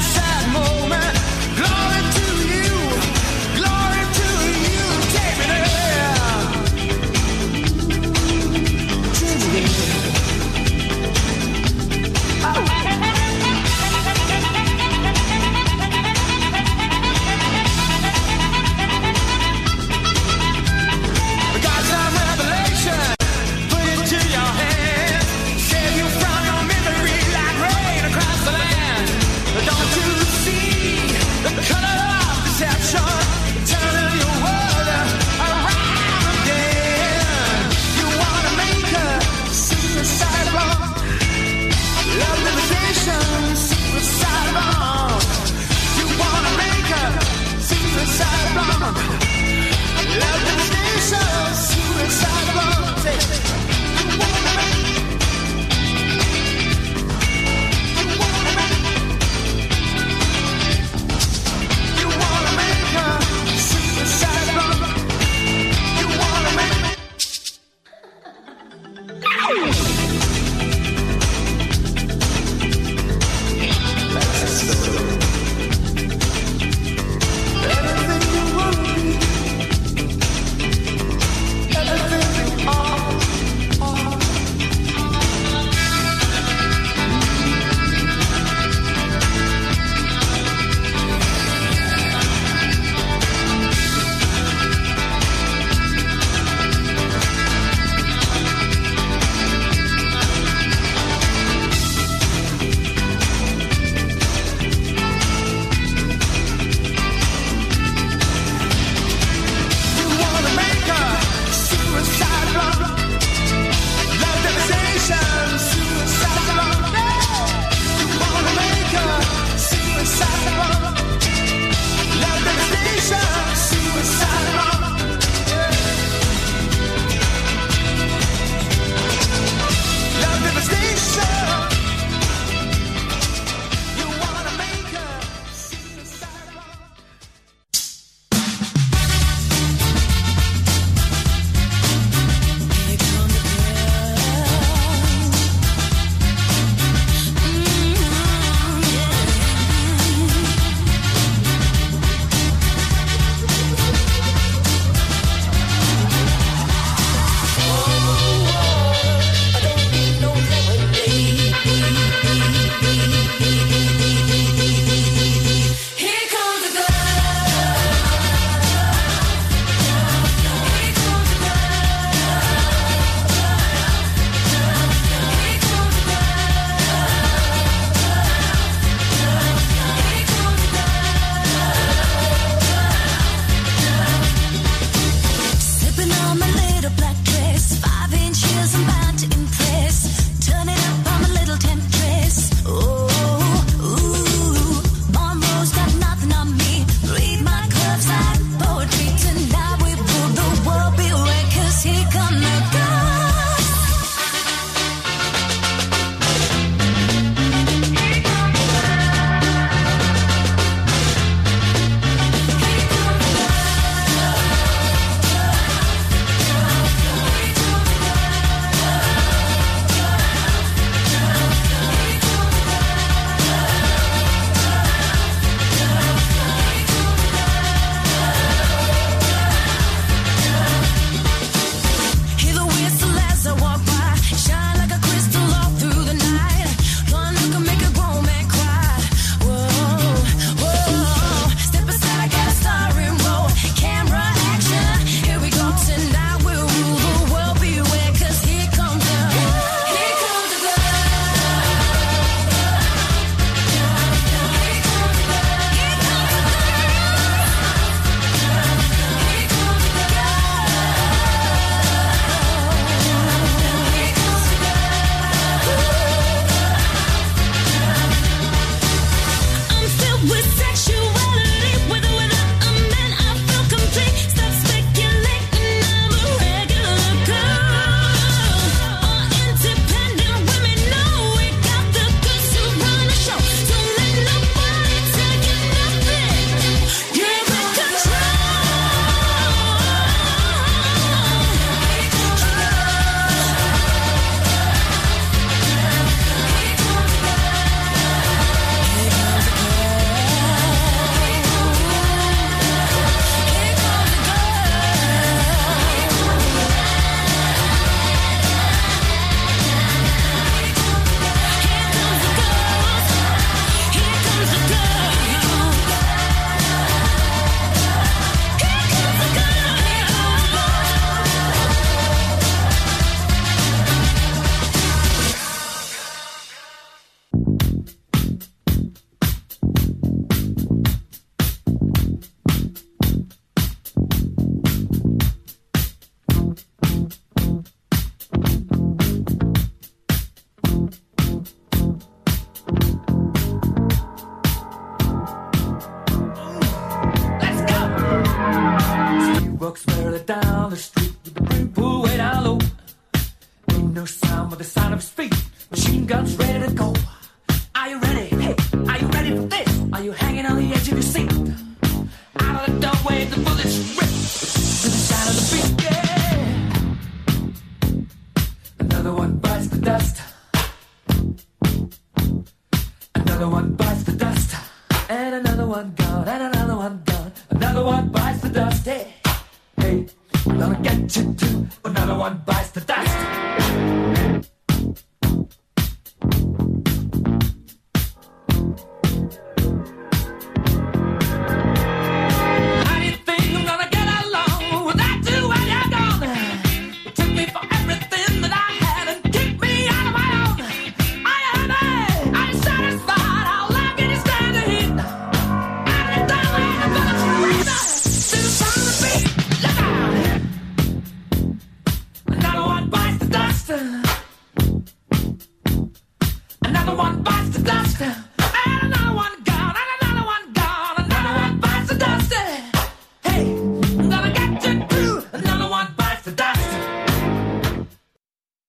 No sound but the sound of his feet. Machine guns ready to go. Are you ready? Hey, are you ready for this? Are you hanging on the edge of your seat? Out of the doorway, the bullets rip to the sound of the beat. Yeah. Another one bites the dust. Another one bites the dust. And another one gone. And another one gone. Another one bites the dust. Hey, hey, I'm gonna get you too. Another one bites the dust. Another one bites the dust.